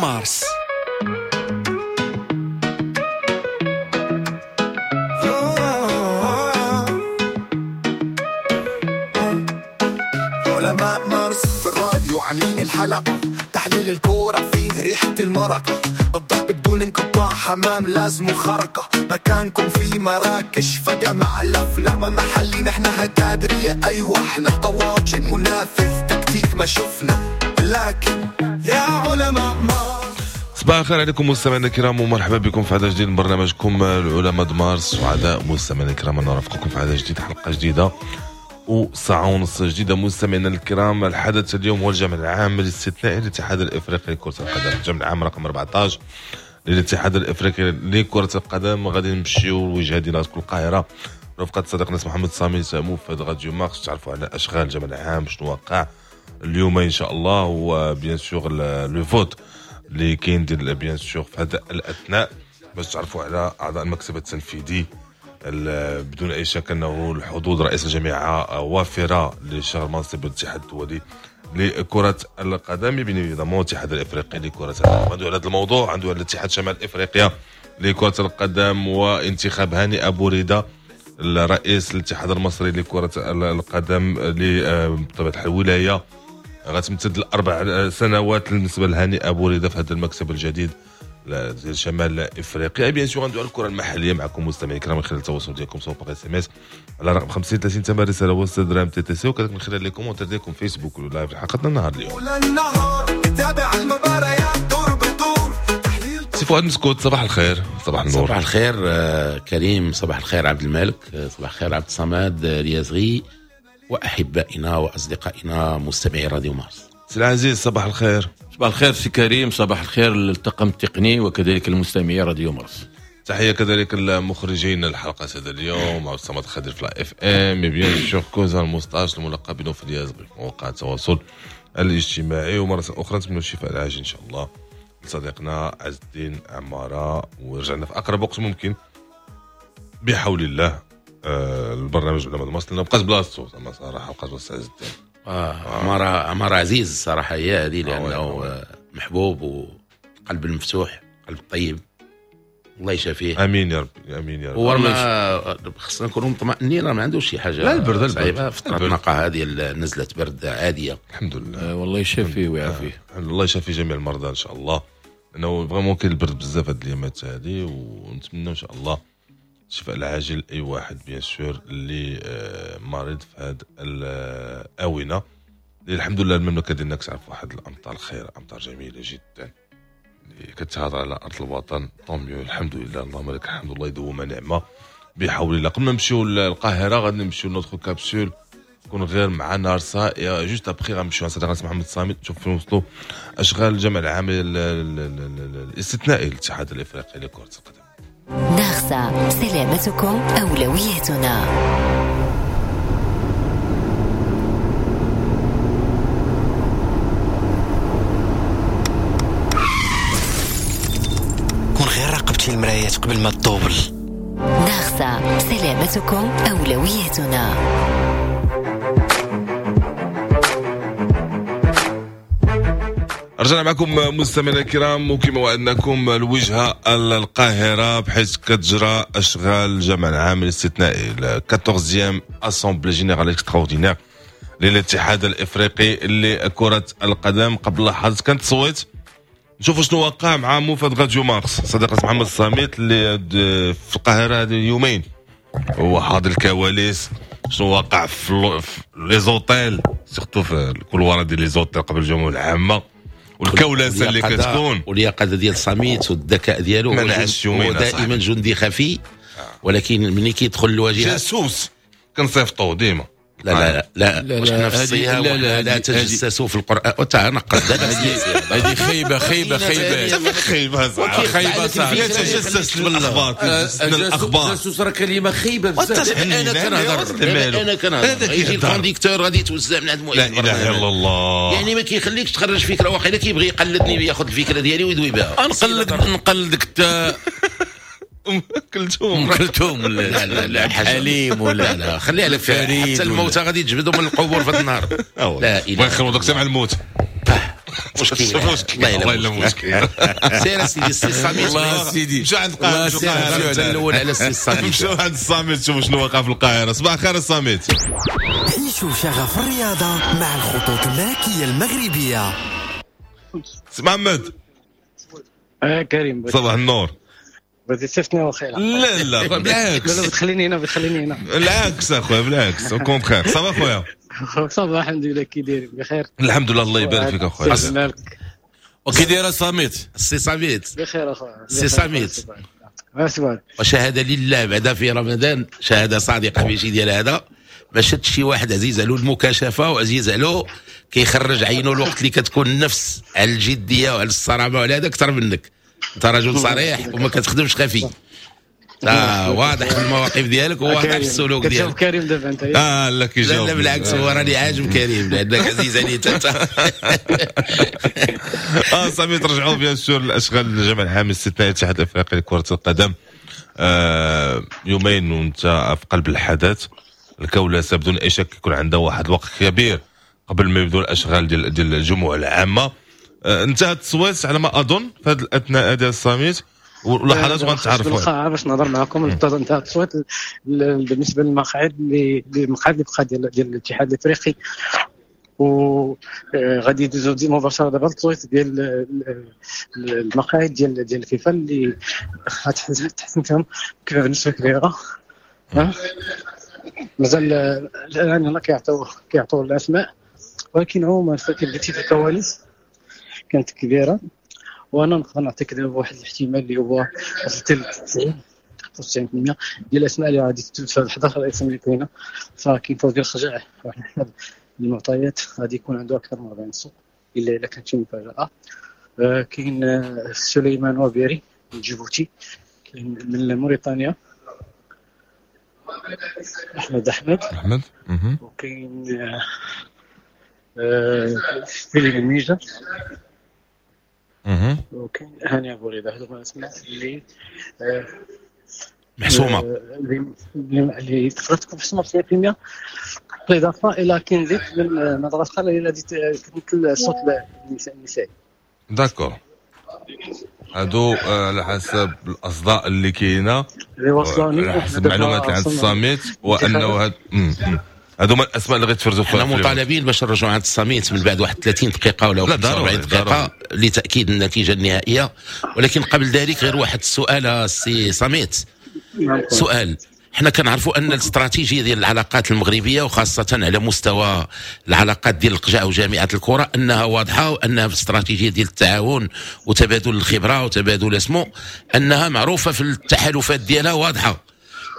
مارس. علماء مارس في الراديو عاملين الحلقة، تحليل الكورة فيه ريحة المرقة، الضرب بدون انقطاع، حمام لازم خرقة، مكانكم في مراكش فجمع الأفلام محلي، نحن هتادرية أيوة احنا طواجن منافذ تكتيك ما شفنا، لكن يا علماء مارس. صباح الخير عليكم مستمعينا الكرام ومرحبا بكم في عدد جديد من برنامجكم العلماء مارس. سعداء مستمعينا الكرام أن نرافقكم في عدد جديد، حلقة جديدة وساعة ونص جديدة. مستمعينا الكرام، الحدث اليوم هو الجمع العام الاستثنائي للاتحاد الافريقي لكرة القدم، الجمع العام رقم 14 للاتحاد الافريقي لكرة القدم. غادي نمشيو الوجهة ديالنا تكون القاهرة رفقة صديقنا محمد صامي موفد راديو مارس، تعرفوا على اشغال الجمع العام شنو وقع اليوم ان شاء الله، و bien sûr le vote اللي كاين ديال bien sûr في هذا الاثناء باش تعرفوا على اعضاء المكتب التنفيذي. بدون اي شك انه الحظوظ رئيس الجامعة وافرة لشغل منصب الاتحاد الدولي لكرة القدم، bien évidemment الاتحاد الافريقي لكرة القدم. عنده على هذا الموضوع، عنده على الاتحاد شمال افريقيا لكرة القدم وانتخاب هاني ابو ريده الرئيس الاتحاد المصري لكرة القدم بطبيعة الحال الولاية غتمتد ل4 سنوات بالنسبة لهاني ابو ريده في هذا المكتب الجديد ديال شمال افريقيا. bien sûr غندوي على الكره المحلية معكم مستمعين الكرام من خلال التواصل ديالكم سواء par SMS على رقم 50 30 8 رسالة وسط درهم TTC، وكذلك من خلال les commentaires ديالكم فيسبوك و live حلقتنا النهار اليوم. تابع المباريات دور بدور. سي فؤاد مسكوت، صباح الخير. صباح النور. صباح الخير كريم، صباح الخير عبد الملك، صباح الخير عبد الصمد اليازغي واحبائنا واصدقائنا مستمعي راديو مارس. سي العزيز صباح الخير. صباح الخير سي كريم، صباح الخير للطاقم التقني وكذلك المستمعي راديو مارس. تحية كذلك المخرجين الحلقة هذا اليوم عبد الصمد خضير في FM، bien sûr كوزا المستاش الملقب بنوفل اليازغي في مواقع التواصل الاجتماعي. ومرة اخرى نتمنى الشفاء العاجل ان شاء الله لصديقنا عز الدين عمارة، ورجعنا في اقرب وقت ممكن بحول الله. البرنامج علماء مارس لانه بقات بلاصتو زعما صراحة، بقات بلاصة عز الدين. عمارة عزيز الصراحة هي هذه، لأنه محبوب وقلب المفتوح، قلب طيب، الله يشافيه. امين يا ربي، امين يا رب. هو ما خصنا نكونوا مطمئنين، راه ما عندوش شي حاجة. لا البرد صعيبة، فترة نقاهه هذه نزلت برد عادية. الحمد لله. والله يشافيه ويعافيه. الله يشافي جميع المرضى ان شاء الله، لانه vraiment كاين البرد بزاف هاد الايامات هذه، ونتمنى ان شاء الله الشفاء العاجل اي واحد bien sûr اللي مريض في هذه الاونة. الحمد لله المملكة ديالنا كتعرف واحد الامطار خير، امطار جميلة جدا اللي كتهضر على ارض الوطن. tant mieux، الحمد لله، اللهم لك الحمد، الله يدوم نعمه بحول الله. قبل ما نمشيو للقاهره غادي نمشيو notre capsule تكون غير مع نارسا، juste après غنمشيو عند صديقنا محمد صامت نشوف فين وصلوا اشغال الجمع العام الاستثنائي للاتحاد الافريقي لكرة القدم. ناغسا، سلامتكم أولويتنا. كون غير راقبتي المرايات قبل ما تطوبل. ناغسا، سلامتكم أولويتنا. رجعنا معكم مستمعينا الكرام، وكما وعدناكم الوجهة القاهرة بحيث كتجرى اشغال الجمع العام الاستثنائي 14 assemblée générale extraordinaire للاتحاد الافريقي لكرة القدم. قبل لحظات كانت تصويت، نشوفوا شنو وقع مع موفد راديو مارس صديقنا محمد الصامت اللي في القاهرة هذه اليومين، هو حاضر الكواليس شنو وقع في les hôtels، surtout في ال couloir ديال les hôtels قبل الجمعة العامة والكولاسه اللي كتكون، واليقظه ديال صميت والذكاء ديالو. هو دائما جندي خفي، ولكن ملي كيدخل الواجهة جاسوس كنصيفطوه ديما. لا لا لا، واش حنا في الصيام لا تجسسوا في القران وتعنقد. هذه خيبه خيبه خيبه خيبه خيبه صاحبي. يتجسس الاخبار، الاخبار جاسوس راه كلمة خيبه بزاف. انا كنهضر يجي ال conducteur غادي يتوزع من عند مؤيد. لا اله الا الله، يعني ما كيخليكش تخرج فكرة، واقيلا كيبغي يقلدني وياخذ الفكرة ديالي ويدوي بها. نقلدك انت ام كلثوم، كلثوم ولا حليم ولا لا، خليها لك حتى الموتى غادي تجبدوا من القبور في هذا النهار. لا اله الا الله، دوك مع الموت. مشكل، والله الا مشكل. سير سيدي السي الصميت. الله سيدي، مشى عند القاهره. الاول على السي الصميت. مشاو عند الصميت، شوفوا شنو وقع في القاهره. صباح الخير الصميت. عيشوا شغف الرياضة مع الخطوط الملكية المغربيه. سي محمد. كريم، صباح النور. بغيتي تصيفطني واخيرا؟ لا لا، بالعكس. لا لا، بتخليني هنا، بتخليني هنا. بالعكس اخويا، بالعكس، au contraire. ça va خويا؟ ça va الحمد لله، كي داير؟ بخير؟ الحمد لله، الله يبارك فيك اخويا. مالك؟ وكي داير صامت؟ السي صامت. بخير اخويا. سي صامت. ماشي. وشهادة لله بعدا في رمضان، شهادة صادقة ماشي ديال هذا، ما شدش شي واحد عزيز علو المكاشفه وعزيز علو كيخرج عينه الوقت اللي كتكون النفس على الجدية وعلى الصرامه وعلى هذا اكثر منك. انت رجل صريح وما كتخدمش خفي، واضح في المواقف ديالك وواضح في السلوك ديالك. كريم دابا انت. اه لا، كيجاوب. لا لا، بالعكس، هو راني عاجب كريم لانك عزيز عليه انت. صافي، ترجعوا bien sûr الاشغال، الجمع العام الاستثنائي الاتحاد الافريقي لكرة القدم. يومين وانت في قلب الحدث، الكولاسه بدون اي شك يكون عندها واحد الوقت كبير قبل ما يبدو الاشغال ديال الجموع العامه. انتهى التصويت على ما اظن في هذه الاثناء ديال الصميت ولحظات غنتعرفوا. بالقاعه باش نهضر معكم. انتهى التصويت بالنسبة للمقاعد اللي بقى ديال الاتحاد الافريقي، وغادي يدوزو دي مباشرة دابا التصويت ديال المقاعد ديال الفيفا اللي غتحسن فيهم كيف بنسبة كبيره. مازال الان يلاه كيعطيو الاسماء، ولكن عموما قلتي في الكواليس كانت كبيره، وانا نقدر نعطيك دابا واحد الاحتمال اللي هو وصلت ل 90 95% ديال الاسماء اللي غادي في 11 اسم اللي كاينه. فكاين فوزي الخجع، واحد حسب المعطيات غادي يكون عنده اكثر من 40 صوت الا كانت شي مفاجاه. كاين سليمان وبيري من جيبوتي، كاين من موريتانيا احمد احمد احمد، وكاين فيليب النيجر، وكاين هاني ابو رضا. هذو هما الاسماء اللي محسومه، اللي تقدر تكون محسومة 90%، بالاضافة الى كنزيت من مدغشقر اللي غادي تمثل الصوت النسائي. d'accord، هادو على حسب الاصداء اللي كاينه اللي وصلوني. على حسب المعلومات اللي عند الصميت، وانه هادو هما الاسماء اللي غيتفرزوا. حنا مطالبين باش نرجعوا عند الصميت من بعد واحد 30 دقيقة ولا 45 دقيقة لتاكيد النتيجة النهائيه، ولكن قبل ذلك غير واحد السؤال السي صميت. سؤال، حنا كنعرفوا ان الاستراتيجية ديال العلاقات المغربيه، وخاصة على مستوى العلاقات ديال القجع وجامعة الكره، انها واضحة وانها في الاستراتيجية ديال التعاون وتبادل الخبرة وتبادل اسمه، انها معروفة في التحالفات ديالها واضحه.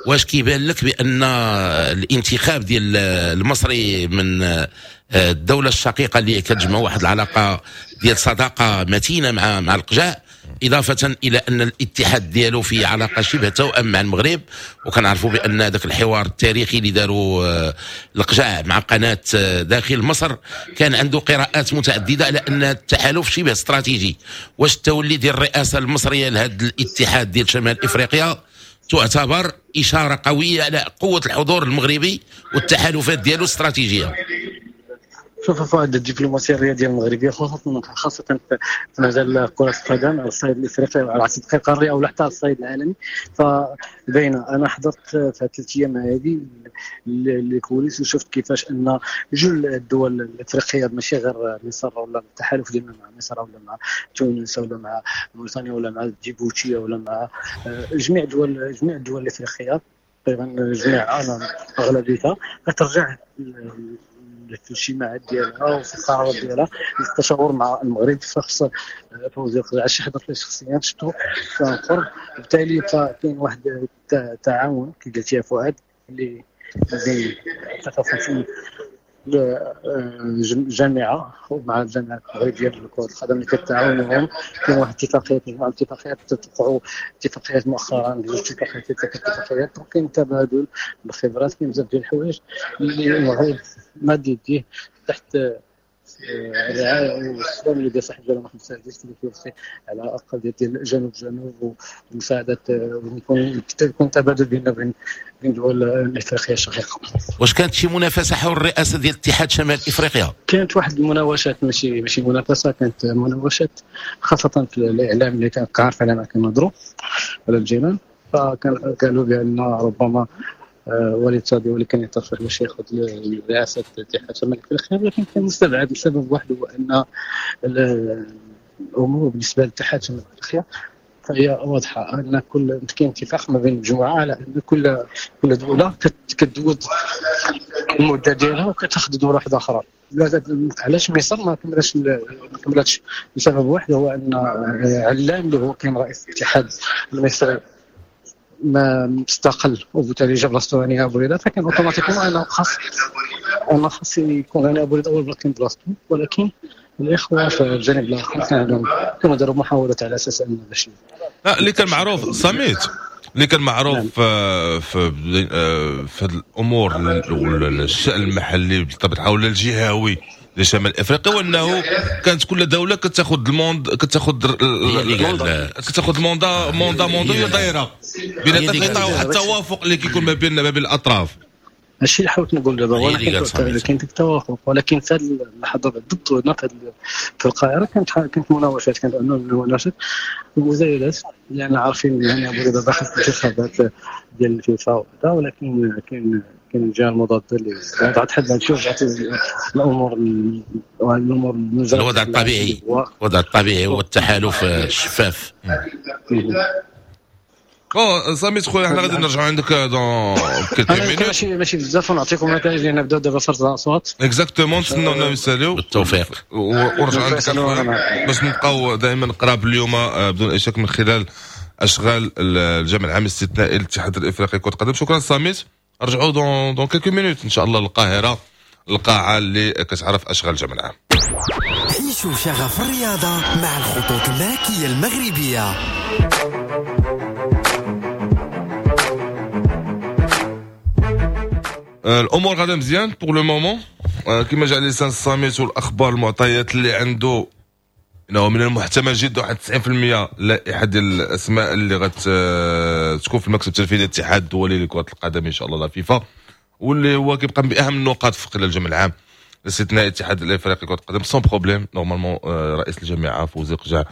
واش كيبان لك بان الانتخاب ديال المصري من الدولة الشقيقة اللي كتجمع واحد العلاقة ديال صداقه متينة مع القجع، إضافة إلى أن الاتحاد ديالو في علاقة شبه توأم مع المغرب، وكنعرفوا بأن هذاك الحوار التاريخي اللي داروا القجع مع قناة داخل مصر كان عنده قراءات متعددة على أن التحالف شبه استراتيجي، واش التولي ديال الرئاسة المصرية لهذا الاتحاد ديال شمال إفريقيا تعتبر إشارة قوية على قوة الحضور المغربي والتحالفات ديالو الاستراتيجية؟ شوف فؤاد، الدبلوماسية الرياضية المغربية خاصة في مجال كره القدم على الصعيد الافريقي وعلى الصعيد القاري او حتى على الصعيد العالمي فباينه. انا حضرت في 3 ايام هذه les coulisses وشفت كيفاش ان جل الدول الافريقية، ماشي غير مصر ولا التحالف ديالنا مع مصر ولا مع تونس ولا مع موريتانيا ولا مع جيبوتي ولا مع جميع الدول الافريقية تقريبا، جميع انا اغلبيتها كترجع في الاجتماعات ديالها وفي القرارات ديالها للتشاور مع المغرب. فخص فوزي القجع حضرت ليه شخصيا، شفتو كان قرب، بالتالي فكاين واحد التعاون كي قلت يا فؤاد اللي بين 53 جامعه ومع الجامعة المغربية لكرة القدم اللي كتعاونهم. كاين واحد اتفاقيات، مجموعة اتفاقيات، توقعوا اتفاقيات مؤخرا، جوج اتفاقيات، ثلاث اتفاقيات، وكاين تبادل الخبرات، كاين بزاف ديال الحوايج اللي المغرب ماد يديه تحت الرعاية والسلام اللي ديال صاحب الجلاله محمد السادس اللي كيوصي على الاقل ديال جنوب جنوب ومساعدة، ويكون تبادل بيننا وبين دول الافريقية الشقيقة. واش كانت شي منافسه حول الرئاسة ديال اتحاد شمال افريقيا؟ كانت واحد المناوشات، ماشي منافسه، كانت مناوشات خاصة في الاعلام اللي كان عارف على ما كنهضروا على الجيران، فكان قالوا بان ربما وليد صادي اللي كان يترشح باش ياخذ رئاسة اتحاد شمال افريقيا، ولكن كان مستبعد لسبب واحد هو ان الامور بالنسبة لاتحاد شمال افريقيا فهي واضحة، ان كل كاين اتفاق ما بين المجموعة على ان كل دولة كتدوز المدة ديالها وكتاخذ دولة واحدة اخرى. علاش مصر ما كملاتش؟ لسبب واحد هو ان علام اللي هو كان رئيس الاتحاد المصري ما مستقل، وبالتالي جا بلاصتو هاني ابو ريده، فكان automatiquement انا خاص يكون هاني ابو ريده هو اللي كان بلاصتو. ولكن الاخوة في الجانب الاخر كانوا داروا محاولات على اساس ان باش لا اللي كان معروف صميت، اللي كان معروف نعم. في هذه الامور الشان المحلي بالطبع ولا الجهوي لشمال افريقيا، وانه كانت كل دولة كتاخذ ال mandat كتاخذ mandat mandat دايرة بين واحد التوافق اللي كيكون ما بين الاطراف. هادشي اللي حاولت نقول دابا، ولكن كاين التوافق، ولكن في هذه اللحظة بالضبط هنا في القاهرة كانت مناوشات، كانت مناوشات ومزايدات، لان عارفين يعني ابو ريده داخل في الانتخابات ديال الفيفا وكذا، ولكن كاين الجهة المضادة اللي وضعت حد هادشي ورجعت الامور الوضع الطبيعي، الوضع الطبيعي هو التحالف الشفاف. bon سامي خويا حنا غادي نرجعوا عندك dans quelques minutes، ماشي بزاف، ونعطيكم النتائج لان بداو دابا فرز الاصوات. exactement، نتسناو نساليو بالتوفيق ونرجعوا عندك باش نبقاو دائما قراب اليوم بدون اي شك من خلال اشغال الجمع العام الاستثنائي للاتحاد الافريقي كره القدم. شكرا ساميت، رجعوا dans quelques minutes ان شاء الله للقاهره، القاعة اللي كتعرف اشغال الجمع العام. عيشوا شغف الرياضة مع الخطوط الملكية المغربية. الامور غادا مزيان pour le moment، كما جا لسان الصامت والاخبار المعطيات اللي عنده انه من المحتمل جدا واحد 90% لائحة ديال الاسماء اللي غتكون في المكتب التنفيذي للاتحاد الدولي لكرة القدم ان شاء الله لا فيفا، واللي هو كيبقى باهم النقاط في خلال الجمع العام الاستثنائي الاتحاد الافريقي لكرة القدم sans problème. normalement رئيس الجامعة فوزي قجع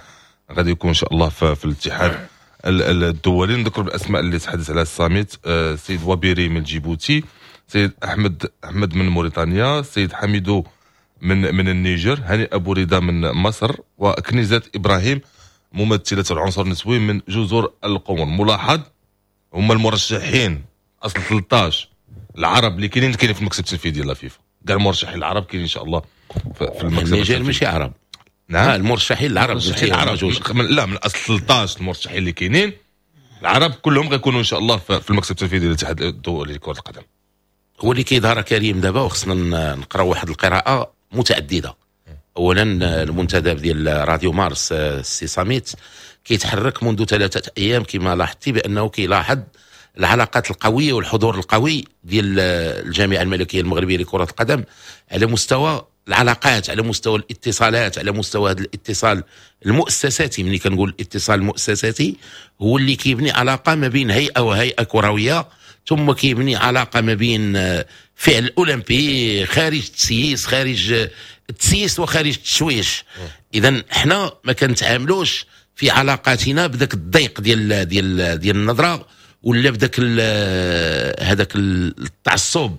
غادي يكون ان شاء الله في الاتحاد الدولي. نذكر بالاسماء اللي تحدث عليها الصامت: السيد وابيري من جيبوتي، سيد احمد من موريتانيا، سيد حميدو من النيجر، هاني ابو رضا من مصر، وكنيزة ابراهيم ممثلة العنصر النسوي من جزر القمر. ملاحظ هما المرشحين اصل 13 العرب اللي كاينين في المكتب التنفيذي ديال الفيفا، كاع المرشحين العرب كاينين ان شاء الله في المكتب. النيجر ماشي عرب. نعم المرشحين العرب، لا من اصل 13 المرشحين اللي كاينين العرب كلهم غيكونوا ان شاء الله في المكتب التنفيذي للاتحاد الدولي لكرة القدم. هو اللي كيظهر كريم دابا، وخصنا نقراو واحد القراءة متعددة. اولا المنتدب ديال راديو مارس السي صاميت كيتحرك منذ 3 ايام كما لاحظتي بانه كيلاحظ العلاقات القوية والحضور القوي ديال الجامعة الملكية المغربية لكرة القدم على مستوى العلاقات، على مستوى الاتصالات، على مستوى هذا الاتصال المؤسساتي. ملي كنقول الاتصال المؤسساتي هو اللي كيبني علاقة ما بين هيئة وهيئة كروية، ثم كيبني علاقة ما بين فعل اولمبي خارج التسييس، خارج التسييس وخارج التشويش. اذا حنا ما كنتعاملوش في علاقاتنا بداك الضيق ديال ديال ديال النظرة، ولا بداك هذاك التعصب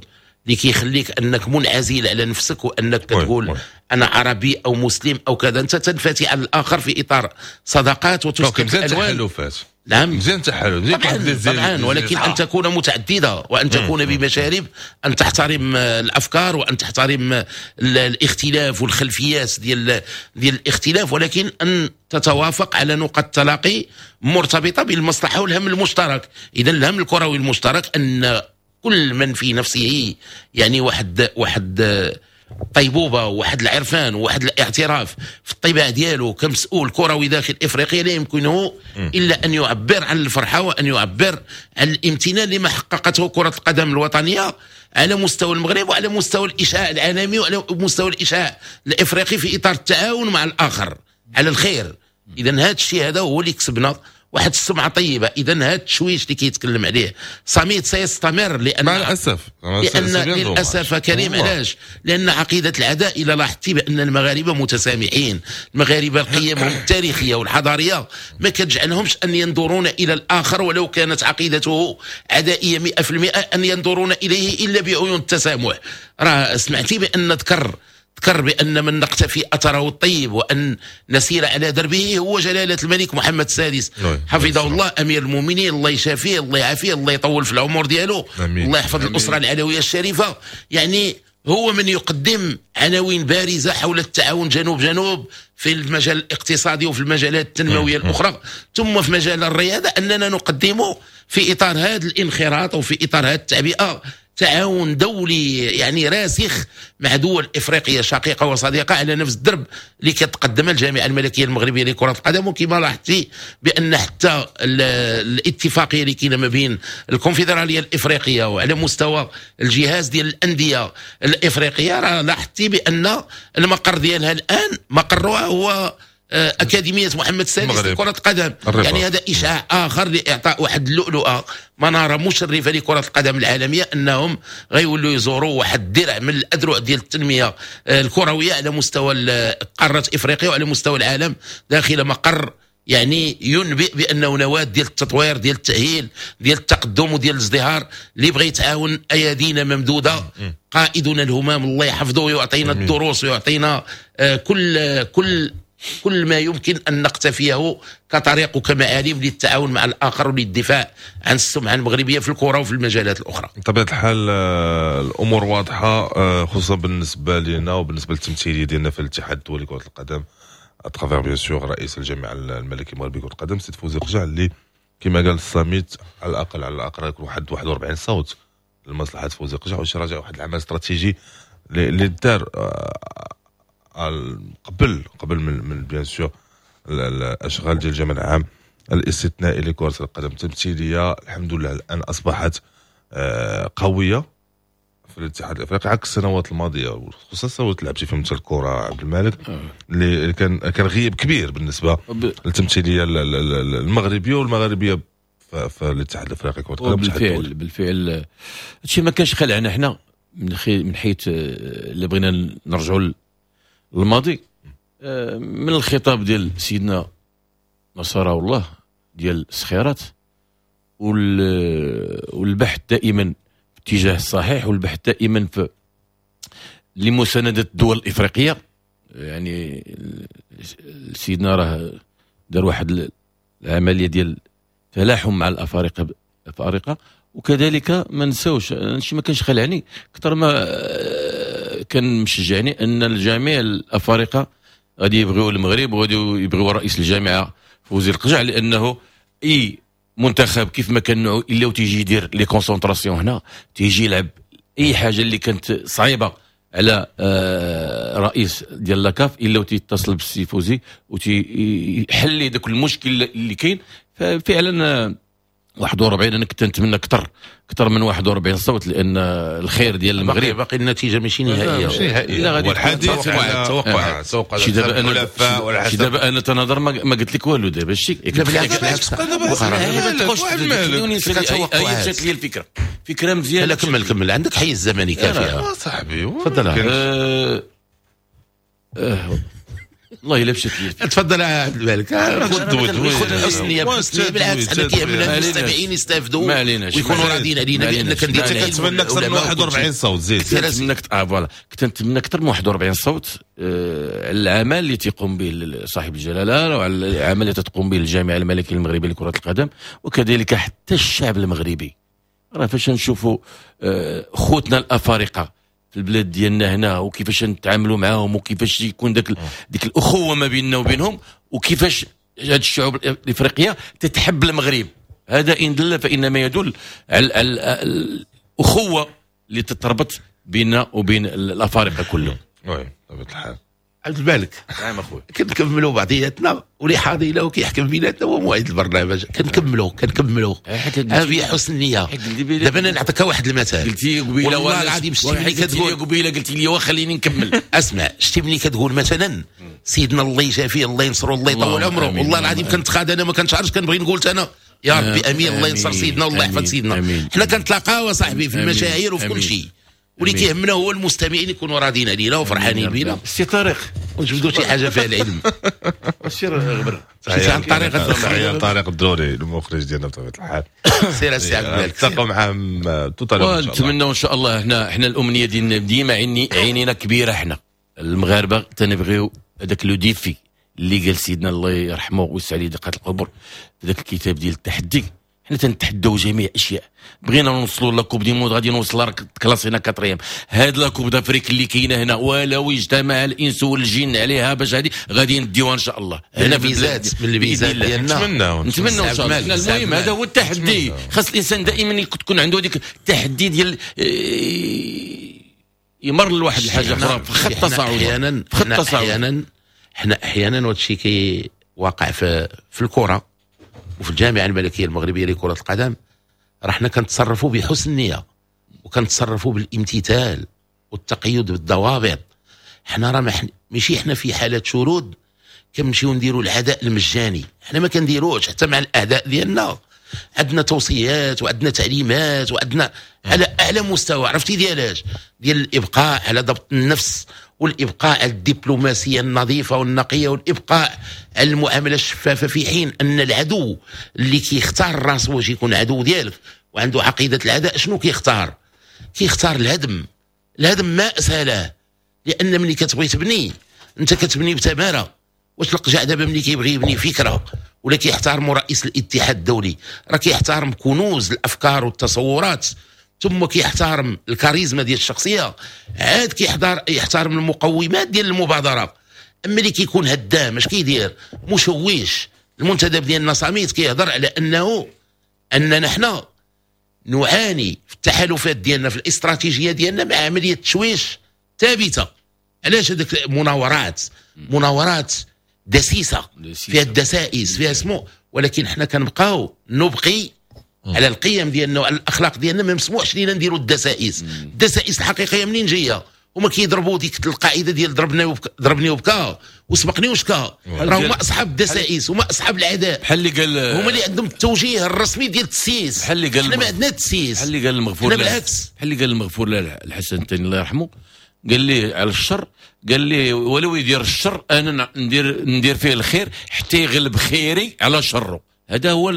اللي كيخليك انك منعزل على نفسك وانك كتقول انا عربي او مسلم او كذا. انت تنفتح على الاخر في اطار صداقات وتسقط الالوان. نعم مزيان تحالف طبعا، ولكن ان تكون متعددة وان تكون بمشارب، ان تحترم الافكار وان تحترم الاختلاف والخلفيات ديال الاختلاف، ولكن ان تتوافق على نقاط تلاقي مرتبطة بالمصلحة والهم المشترك. اذا الهم الكروي المشترك ان كل من في نفسه يعني واحد الطيبوبه وواحد العرفان وواحد الاعتراف في الطباع ديالو كمسؤول كروي داخل افريقيا، لا يمكنه الا ان يعبر عن الفرحة وان يعبر عن الامتنان لما حققته كره القدم الوطنية على مستوى المغرب وعلى مستوى الاشعاع العالمي وعلى مستوى الاشعاع الافريقي في اطار التعاون مع الاخر على الخير. اذا هذا الشيء هذا هو اللي كسبنا واحد السمعة طيبة. اذا هذا التشويش اللي كيتكلم عليه صميت سيستمر، لان مع الاسف، لان للاسف كريم، علاش؟ لان عقيدة العداء، الى لاحظتي بان المغاربة متسامحين، المغاربة قيمهم التاريخية والحضاريه ما كتجعلهمش ان ينظرون الى الاخر ولو كانت عقيدته عدائية 100% ان ينظرون اليه الا بعيون التسامح. راه سمعتي بان ذكر بأن من نقتفي أثره الطيب وأن نسير على دربه هو جلالة الملك محمد السادس حفظه الله، أمير المؤمنين، الله يشافيه، الله يعافيه، الله يطول في العمر ديالو، الله يحفظ الأسرة العلوية الشريفة. يعني هو من يقدم عناوين بارزة حول التعاون جنوب جنوب في المجال الاقتصادي وفي المجالات التنموية الأخرى، ثم في مجال الرياضة أننا نقدم في إطار هذا الانخراط وفي إطار هذه التعبئة تعاون دولي يعني راسخ مع دول افريقية شقيقه وصديقه على نفس الدرب اللي كتقدمها الجامعة الملكية المغربية لكرة القدم. وكما لاحظتي بان حتى الاتفاقية اللي كاينه ما بين الكونفدراليه الافريقية وعلى مستوى الجهاز ديال الاندية الافريقية، راه لاحظتي بان المقر ديالها الان مقرها هو أكاديمية محمد السادس لكرة القدم. يعني هذا إشعاع آخر لإعطاء واحد اللؤلؤة، منارة مشرفة لكرة القدم العالمية، أنهم غيولوا يزوروا واحد الدرع من الأذرع ديال التنمية الكروية على مستوى قارة إفريقيا وعلى مستوى العالم داخل مقر يعني ينبئ بأنه نواة ديال التطوير، ديال التأهيل، ديال التقدم وديال الازدهار. اللي بغى يتعاون أيادينا ممدودة، قائدنا الهمام الله يحفظه ويعطينا الدروس ويعطينا كل ما يمكن أن نقتفيه كطريق وكمعالم للتعاون مع الآخر وللدفاع عن السمعة المغربية في الكرة وفي المجالات الأخرى. بطبيعة الحال الأمور واضحة، خصوصا بالنسبة لنا وبالنسبة للتمثيلية ديالنا في الاتحاد الدولي لكرة القدم à travers bien sûr رئيس الجامعة الملكية المغربية لكرة القدم سيد فوزي القجع، اللي كما قال الصميت على الأقل يكون واحد 41 صوت لمصلحة فوزي القجع، واش راجع واحد العمل استراتيجي اللي دار قبل من bien sûr الاشغال ديال الجمع العام الاستثنائي لكرة القدم. التمثيلية الحمد لله الان اصبحت قوية في الاتحاد الافريقي عكس السنوات الماضية، خصوصا السنوات اللي لعبتي فيهم الكره عبد الملك، اللي كان غياب كبير بالنسبة للتمثيليه المغربية والمغاربيه في الاتحاد الافريقي كره القدم. بالفعل هادشي ما كانش خلعنا حنا من حيث اللي بغينا نرجعوا الماضي من الخطاب ديال سيدنا نصره الله ديال الصخيرات والبحث دائما في اتجاه الصحيح، والبحث دائما في لمساندة الدول الإفريقية. يعني سيدنا راه دار واحد العملية ديال تلاحم مع الأفارقة، وكذلك ما نساوش هادشي ما كانش خلعني اكثر ما كان مشجعني ان الجميع الافارقة غادي يبغيو المغرب وغادي يبغيو رئيس الجامعة فوزي القجع، لانه اي منتخب كيف ما كان نوعو الا وتيجي يدير les concentrations هنا، تيجي يلعب اي حاجة اللي كانت صعيبة على رئيس ديال la CAF الا وتيتصل بالسي فوزي وتيحل داك المشكل اللي كاين. ففعلا 41 انا كنت نتمنى اكثر من 41 صوت، لان الخير ديال المغرب باقي النتيجة ماشي نهائية. لا غادي الحديث توقع شي دابا انا تنهضر ما قلت لك والو دابا شي. لا بالعكس مشات لي الفكرة، فكرة مزيانه. لا كمل عندك حيز زمني كافي صاحبي، تفضل. والله الا مشات لي. تفضل عبد الملك، خذ الحسنيه بالعكس حنا كيهمنا المستمعين يستافدوا ويكونوا راضيين علينا بان كندير. كنتمنى اكثر من 41 صوت زيد. voilà كنت نتمنى اكثر من 41 صوت على العمل اللي تيقوم به صاحب الجلاله وعلى العمل اللي تتقوم به الجامعة الملكية المغربية لكرة القدم، وكذلك حتى الشعب المغربي. راه فاش نشوفوا خوتنا الافارقة في البلاد ديالنا هنا وكيفاش نتعاملوا معاهم وكيفاش يكون ديك الاخوة ما بيننا وبينهم، وكيفاش هاد الشعوب الافريقية تتحب المغرب، هذا ان دل فانما يدل على الاخوة اللي تتربط بيننا وبين الافارقة كلهم. oui بطبيعة الحال. عبد الملك، نعم اخويا، كنكملوا بعضياتنا واللي حاضي له كيحكم بيناتنا هو موعد البرنامج. كنكملوا هذه حسن النية. دابا انا نعطيك واحد المثال. قلتي قبيلة والله العظيم، شتي ملي كتقول قبيلة قلتي لي وخليني نكمل. اسمع، شتي ملي كتقول مثلا سيدنا الله يشافيه الله ينصرو الله يطول عمره، والله العظيم كنتخاد انا ما كنشعرش، كنبغي نقول انا يا ربي امين الله ينصر سيدنا والله يحفظ سيدنا. حنا كنتلاقاو صاحبي في المشاعر وفي كل شيء، واللي كيهمنا هو المستمعين يكونوا راضيين علينا وفرحانين بينا. سي طارق ونجبدوا شي حاجة فيها العلم. سير غبر سي طارق، تحية طارق الدروري المخرج ديالنا بطبيعة الحال. سير السي عبد الملك، نتلاقاو معاه tout à l'heure. ونتمنوا ان شاء الله. حنا الامنية ديالنا ديما عينينا كبيرة، حنا المغاربة تنبغيو هذاك le défi اللي قال سيدنا الله يرحمه ويوسع عليه دقات القبر في ذاك الكتاب ديال التحدي. حنا تنتحداو جميع اشياء، بغينا نوصلوا la coupe du monde غادي نوصل كلاسينا quatrième. هاد la coupe d'Afrique اللي كاينه هنا ولو اجتمع الانس والجن عليها باش هادي غادي نديوها ان شاء الله. هنا فيزات من الفيزات ديالنا نتمنوا ان شاء الله. المهم هذا هو التحدي، خاص الانسان دائما تكون عنده هذيك التحدي ديال يمر لواحد الحاجة اخرى في خط تصاعدي. حنا احيانا وهادشي كي واقع في الكره وفي الجامعة الملكية المغربية لكرة القدم، راه حنا كنتصرفوا بحسن نيه وكنتصرفوا بالامتثال والتقيد بالضوابط. حنا راه ماشي حنا في حاله شرود كنمشيو نديروا العداء المجاني، حنا ما كنديروش حتى مع الاعداء ديالنا. عندنا توصيات وعندنا تعليمات وعندنا على اعلى مستوى، عرفتي ديالاش؟ ديال الابقاء على ضبط النفس والابقاء على الدبلوماسية النظيفة والنقيه والابقاء على المعاملة الشفافه، في حين ان العدو اللي كيختار راسه واش يكون عدو ديالك وعنده عقيدة العداء، شنو كيختار؟ كيختار الهدم. الهدم ما اسهله، لان ملي كتبغي تبني انت كتبني بتماره. واش القجع دابا ملي كيبغي يبني فكرة ولا كيحترم رئيس الاتحاد الدولي، راه كيحترم كنوز الافكار والتصورات، ثم كيحترم الكاريزما ديال الشخصية، عاد كيحترم المقومات ديال المبادرة. اما اللي كيكون هدام اش كيدير؟ مشوش. المنتدب ديالنا صاميت كيهضر على انه اننا حنا نعاني في التحالفات ديالنا في الاستراتيجية ديالنا مع عملية تشويش ثابتة. علاش هذيك مناورات دسيسه فيها الدسائس فيها اسمو، ولكن حنا كنبقاو نبقي على القيم ديالنا وعلى الاخلاق ديالنا. ما مسموحش لينا نديروا الدسائس. الدسائس الحقيقية منين جاية؟ هما كيضربوا ديك القاعدة ديال ضربني وبكى وسبقني وشكا. راه هما اصحاب الدسائس، هما اصحاب العداء. بحال اللي قال، هما اللي عندهم التوجيه الرسمي ديال التسييس. بحال اللي قال حنا ما عندنا التسييس. بحال اللي قال المغفور، بالعكس بحال اللي قال المغفور له الحسن الثاني الله يرحمه، قال لي على الشر، قال لي ولو يدير الشر انا ندير فيه الخير حتى يغلب خيري على شره. هذا هو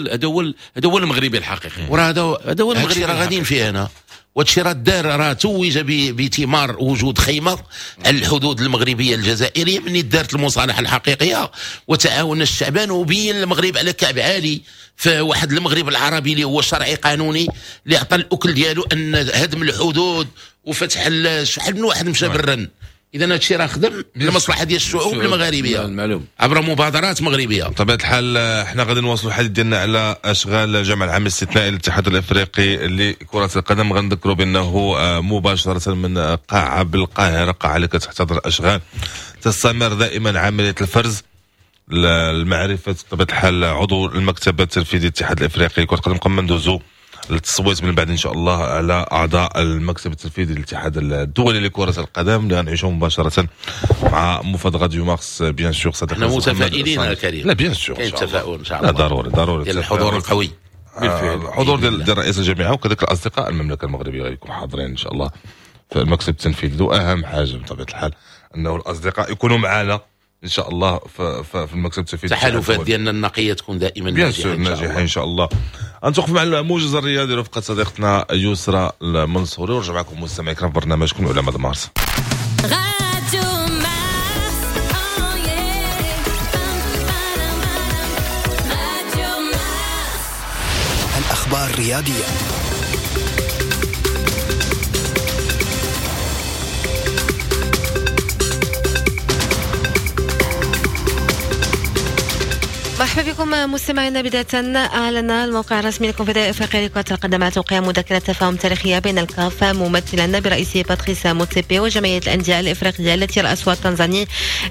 المغربي الحقيقي. وراه هذا هو المغربي راه غاديين فيه انا. وهادشي راه دار، راه توج بثمار وجود خيمة على الحدود المغربية الجزائرية من دارت المصالحة الحقيقية وتعاون الشعبان، وبين المغرب على كعب عالي في واحد المغرب العربي اللي هو شرعي قانوني اللي عطى الاكل ديالو ان هدم الحدود وفتح شحال من واحد مشى برا. اذا هادشي راه خدم للمصلحة ديال الشعوب المغاربية المعلوم عبر مبادرات مغربية. بطبيعة الحال حنا غادي نواصلوا الحديث ديالنا على اشغال الجمع العام الاستثنائي للاتحاد الافريقي لكرة القدم. غنذكروا بانه مباشرة من قاعة بالقاهرة، قاعة اللي كتحتضن الاشغال، تستمر دائما عملية الفرز المعرفة بطبيعة الحال عضو المكتب التنفيذي للاتحاد الافريقي لكرة القدم. قبل ما ندوزو للتصويت من بعد ان شاء الله على اعضاء المكتب التنفيذي للاتحاد الدولي لكرة القدم اللي غنعيشوا مباشرة مع مفاد راديو مارس. bien sûr صديقنا احنا متفائلين كريم. لا bien sûr كاين تفاؤل ان شاء الله. لا ضروري ديال الحضور القوي، بالفعل الحضور ديال رئيس الجامعة وكذلك الاصدقاء المملكة المغربية غيكونوا حاضرين ان شاء الله في المكتب التنفيذي. واهم حاجة بطبيعة الحال انه الاصدقاء يكونوا معنا ان شاء الله في المكتب التنفيذي. التحالفات ديالنا النقية تكون دائما ناجحة ان شاء الله. نتوقف مع الموجز الرياضي رفقه صديقتنا يسرى المنصوري، ونرجع معكم مستمعي الكرام في برنامجكم علماء مارس. الاخبار الرياضية. مرحبا مرحبا بكم مستمعينا. بداية أعلن الموقع الرسمي للكونفدرالية الأفريقية لكرة القدم على توقيع مذكرة تفاهم تاريخية بين الكاف ممثلا برئيسه باتريس موتسيبي وجمعية الأندية الإفريقية التي رأسها التنزاني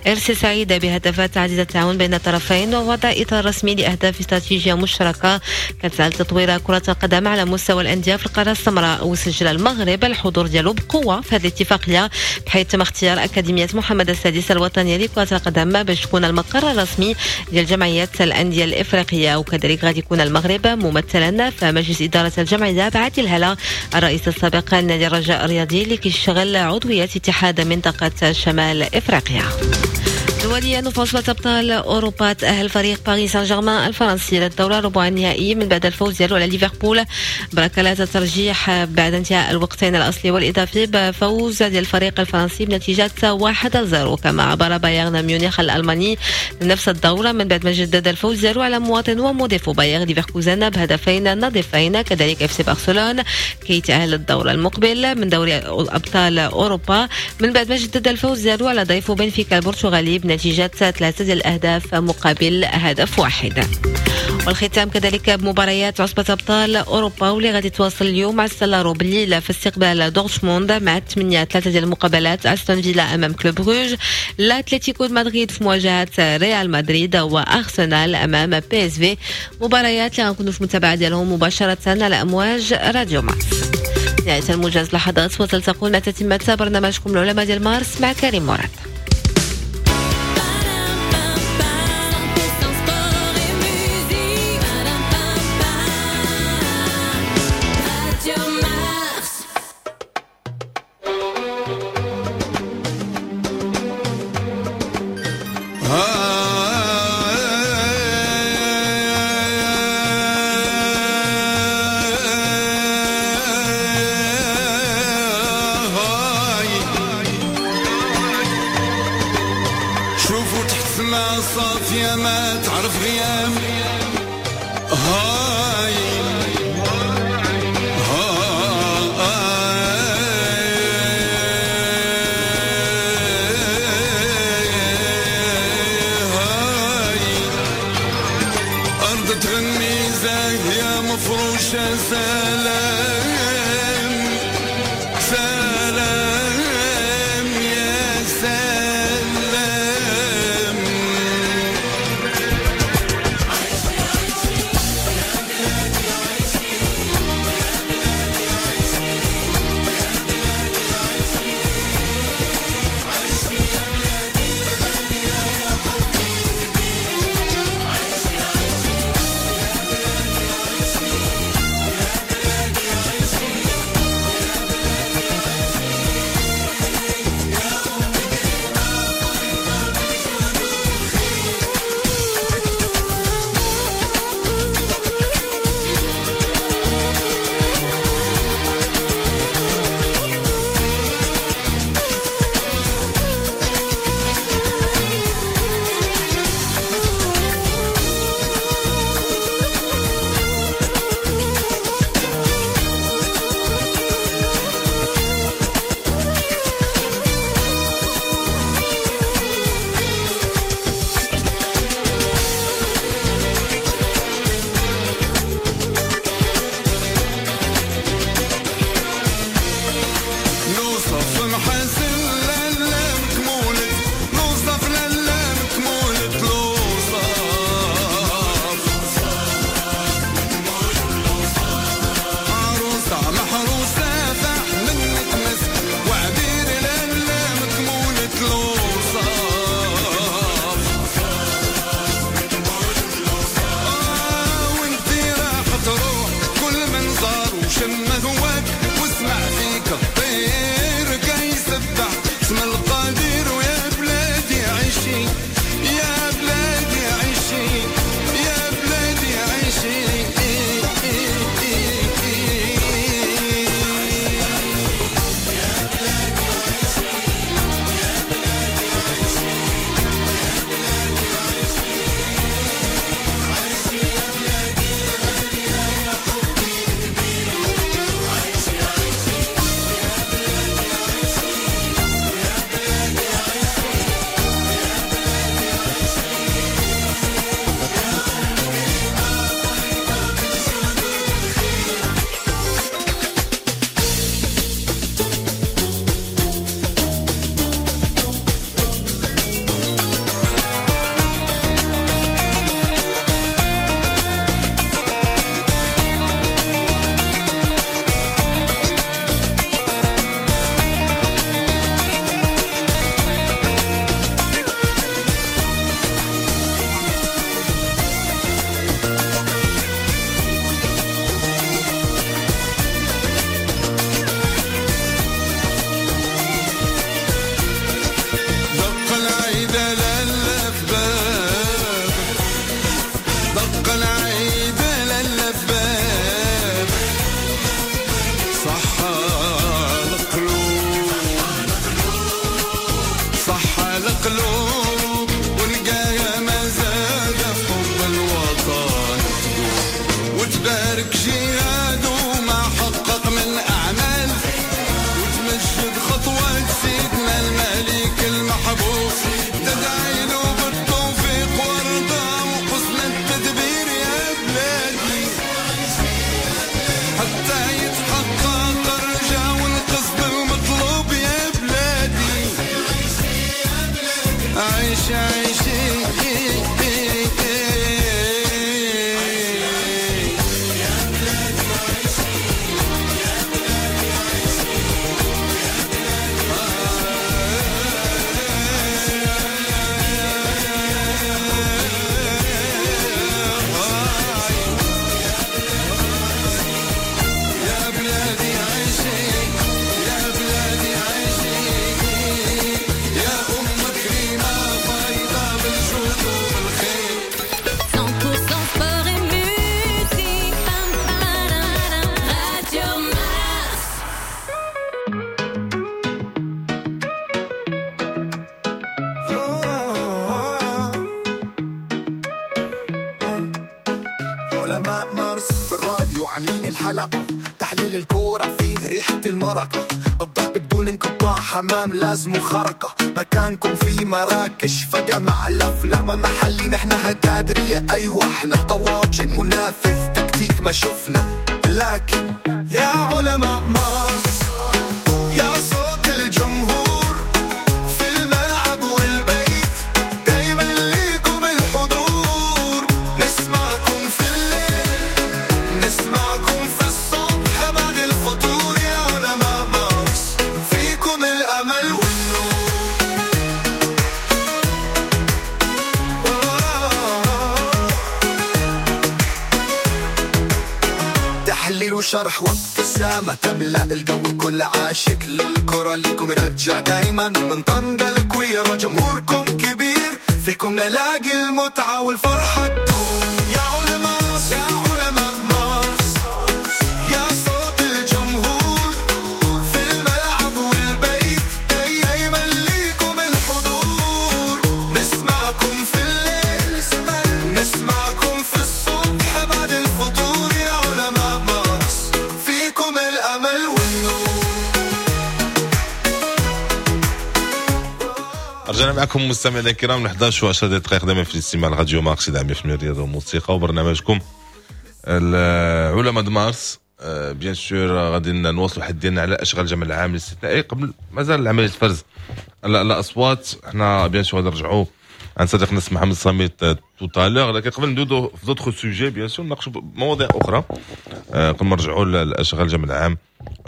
إرسي سعيد بهدف تعزيز التعاون بين الطرفين ووضع إطار رسمي لأهداف استراتيجية مشتركة كتسعى لتطوير كرة القدم على مستوى الأندية في القارة السمراء. وسجل المغرب الحضور ديالو بقوة في هذه الاتفاقية، بحيث تم اختيار أكاديمية محمد السادس الوطنية لكرة القدم باش تكون المقر الرسمي ديال جمعية الأندية الإفريقية. وكذلك غادي يكون المغرب ممثلا في مجلس إدارة الجمعية بعادل هلا الرئيس السابق لنادي الرجاء الرياضي اللي كيشتغل عضوية اتحاد منطقة شمال إفريقيا. دوليا، وفي أبطال أوروبا تأهل فريق باريس سان جيرمان الفرنسي للدور ربع النهائي من بعد الفوز ديالو على ليفربول بركلات الترجيح بعد انتهاء الوقتين الأصلي والإضافي بفوز ديال الفريق الفرنسي بنتيجة 1-0. كما عبر بايرن ميونخ الألماني لنفس الدورة من بعد ما جدد الفوز ديالو على مواطن ومضيفه بايرن ليفركوزن بهدفين نظيفين. كذلك اف سي برشلونة كيتأهل للدور المقبل من دوري أبطال أوروبا من بعد ما جدد الفوز ديالو على ضيفه بنفيكا البرتغالي بنتيجة 3 الأهداف مقابل هدف واحد. والختام كذلك بمباريات عصبة أبطال أوروبا واللي غادي تواصل اليوم مع السلارو بالليل في استقبال دورتموند مع 8-3 ديال المقابلات، أستون فيلا أمام كلوب بروج، الأتلتيكو مدريد في مواجهة ريال مدريد، وأرسنال أمام بي اس في. مباريات اللي غنكونوا في المتابعة ديالهم مباشرة على أمواج راديو مارس. نهاية الموجز لحظات وتلتقون مع تتمة برنامجكم العلماء ديال مارس مع كريم مراد. الحلقة، تحليل الكورة فيه ريحة المرقة، الضرب بدون انقطاع، حمام لازم خرقة، مكانكم في مراكش فجمع الأفلام محلي، نحن هتادرية، أيوة احنا طواجن منافذ تكتيك ما شفنا، لكن يا علماء مارس، يا صوت الجمهور في الملعب والبيت، دايما ليكم الحضور، نسمعكم في الليل، نسمعكم في الصبح بعد الفطور، يا علماء مارس فيكم الأمل والنور. تحليل وشرح وابتسامة تملأ الجو، كل عاشق للكرة ليكم يرجع دايما، من طنجة للكويرة جمهوركم كبير، فيكم نلاقي المتعة والفرحة تدوم. يا علماء، يا علماء مارس، يا صوت الجمهور في الملعب والبيت، دايما ليكم الحضور، نسمعكم في الليل، نسمعكم في الصبح بعد الفطور، يا علماء مارس فيكم الأمل والنور. رجعنا معكم مستمعينا الكرام 11 و10 دقائق دائما في الاستماع لراديو مارس 100% الرياضة والموسيقى وبرنامجكم العلماء د مارس. bien sûr غادي نواصلوا الحديث ديالنا على اشغال الجمع العام الاستثنائي قبل مازال عملية الفرز الاصوات. حنا bien sûr غادي نرجعوا عند صديقنا محمد صميت tout à l'heure، لكن قبل ندوزو في d'autres sujets bien sûr نناقشوا مواضيع اخرى قبل ما نرجعوا لاشغال الجمع العام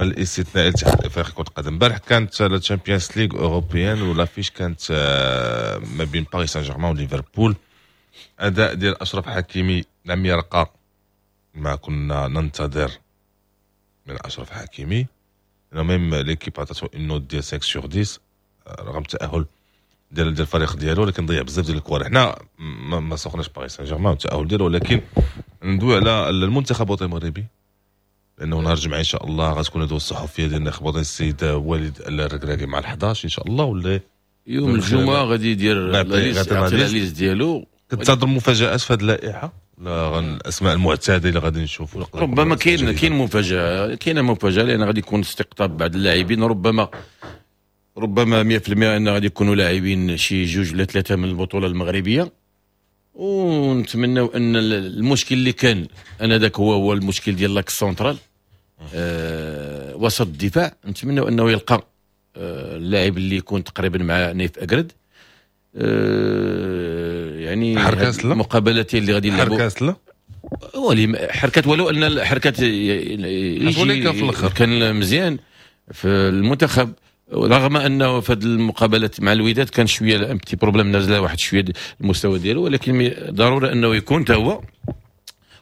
الاستثنائي للاتحاد الافريقي كره القدم. امبارح كانت la Champions League européenne و l'affiche كانت ما بين باريس سان جيرمان وليفربول. اداء ديال اشرف حكيمي لم يرقى ما كنا ننتظر من اشرف حكيمي، même L'Équipe عطاتو une note ديال 5 sur 10 رغم التاهل ديال الفريق ديالو، ولكن ضيع بزاف ديال الكوار. حنا ما سوقناش باريس سان جيرمان والتاهل ديالو، ولكن ندوي على المنتخب الوطني المغربي، لانه نهار الجمعة ان شاء الله غتكون الندوة الصحفية ديال الناخب الوطني السيد وليد الركراكي مع 11 ان شاء الله، ولا يوم الجمعة غادي يدير la liste ديالو. كتنتظر مفاجات في هذه اللائحة؟ لا الاسماء المعتادة اللي غادي نشوفوا ربما كاين مفاجاة، كاينه مفاجاة لان غادي يكون استقطاب بعض اللاعبين، ربما 100% ان غادي يكونوا لاعبين شي جوج ولا ثلاثة من البطولة المغربية. ونتمناو ان المشكل اللي كان انا ذاك هو المشكل ديال l'axe central وسط الدفاع، نتمناو انه يلقى اللاعب اللي يكون تقريبا مع نايف اكرد. يعني المقابلتين اللي غادي يلعبوا حركات لا حركات، ولو ان الحركات كان مزيان في المنتخب، رغم انه في هذه المقابلات مع الوداد كان شوية un petit problème، نازله واحد شوية المستوى ديالو، ولكن ضروري انه يكون تا هو.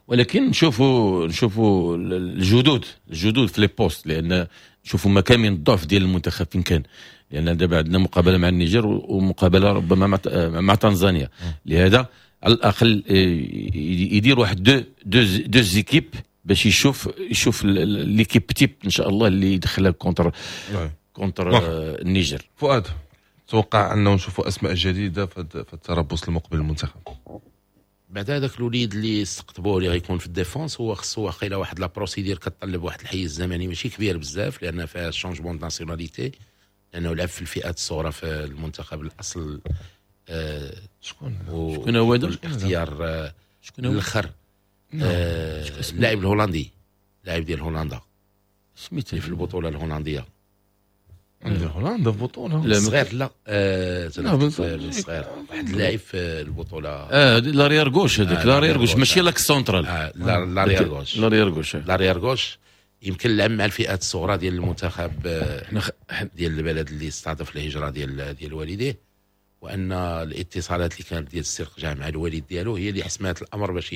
ولكن نشوفوا الجدود في les postes، لان نشوفوا مكامن الضعف ديال المنتخب فين كان، لان دابا عندنا مقابله مع النيجر ومقابله ربما مع تنزانيا، لهذا على الاقل يدير واحد deux équipes باش يشوف l'équipe type ان شاء الله اللي يدخلها contre النيجر. فؤاد، توقع انه نشوفوا اسماء جديدة في التربص المقبل للمنتخب؟ بعد هذاك الوليد اللي استقطبوه اللي غيكون في ال défense، هو خصو واقيلا واحد la procédure كتطلب واحد الحيز الزمني ماشي كبير بزاف، لان فيها changement nationalité، لانه لعب في الفئات الصغرى في المنتخب الاصل. شكون هو هذا؟ الاختيار شكون هو الاخر؟ اللاعب الهولندي، اللاعب ديال هولندا سميتو في البطولة الهولندية. عند هولندا في بطوله لا صغير، لا صغير، واحد اللاعب في البطولة l'arrière gauche، هذاك l'arrière gauche ماشي l'axe central، l'arrière gauche، l'arrière gauche، l'arrière gauche يمكن لعب مع الفئات الصغرى ديال المنتخب ديال البلد اللي استضاف الهجرة ديال والديه، وان الاتصالات اللي كانت ديال السرقجع مع الوالد ديالو هي اللي حسمات الامر باش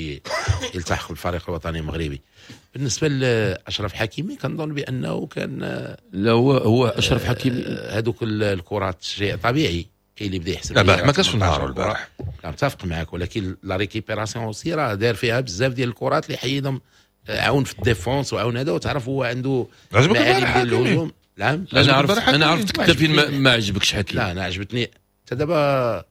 يلتحق بالفريق الوطني المغربي. بالنسبة لاشرف حكيمي كنظن بانه كان لا هو اشرف حكيمي هذوك الكرات شيء طبيعي، كاين اللي بدا يحسب لا البارح ما كانش في نهار البارح، لا متفق معك، ولكن la récupération aussi راه دار فيها بزاف ديال الكرات اللي حيدهم، عاون في ال défense وعاون هذا، وتعرف هو عنده معالم ديال الهجوم. نعم انا عرفت انت فين ما عجبكش حكيمي. لا انا عجبتني حتى دابا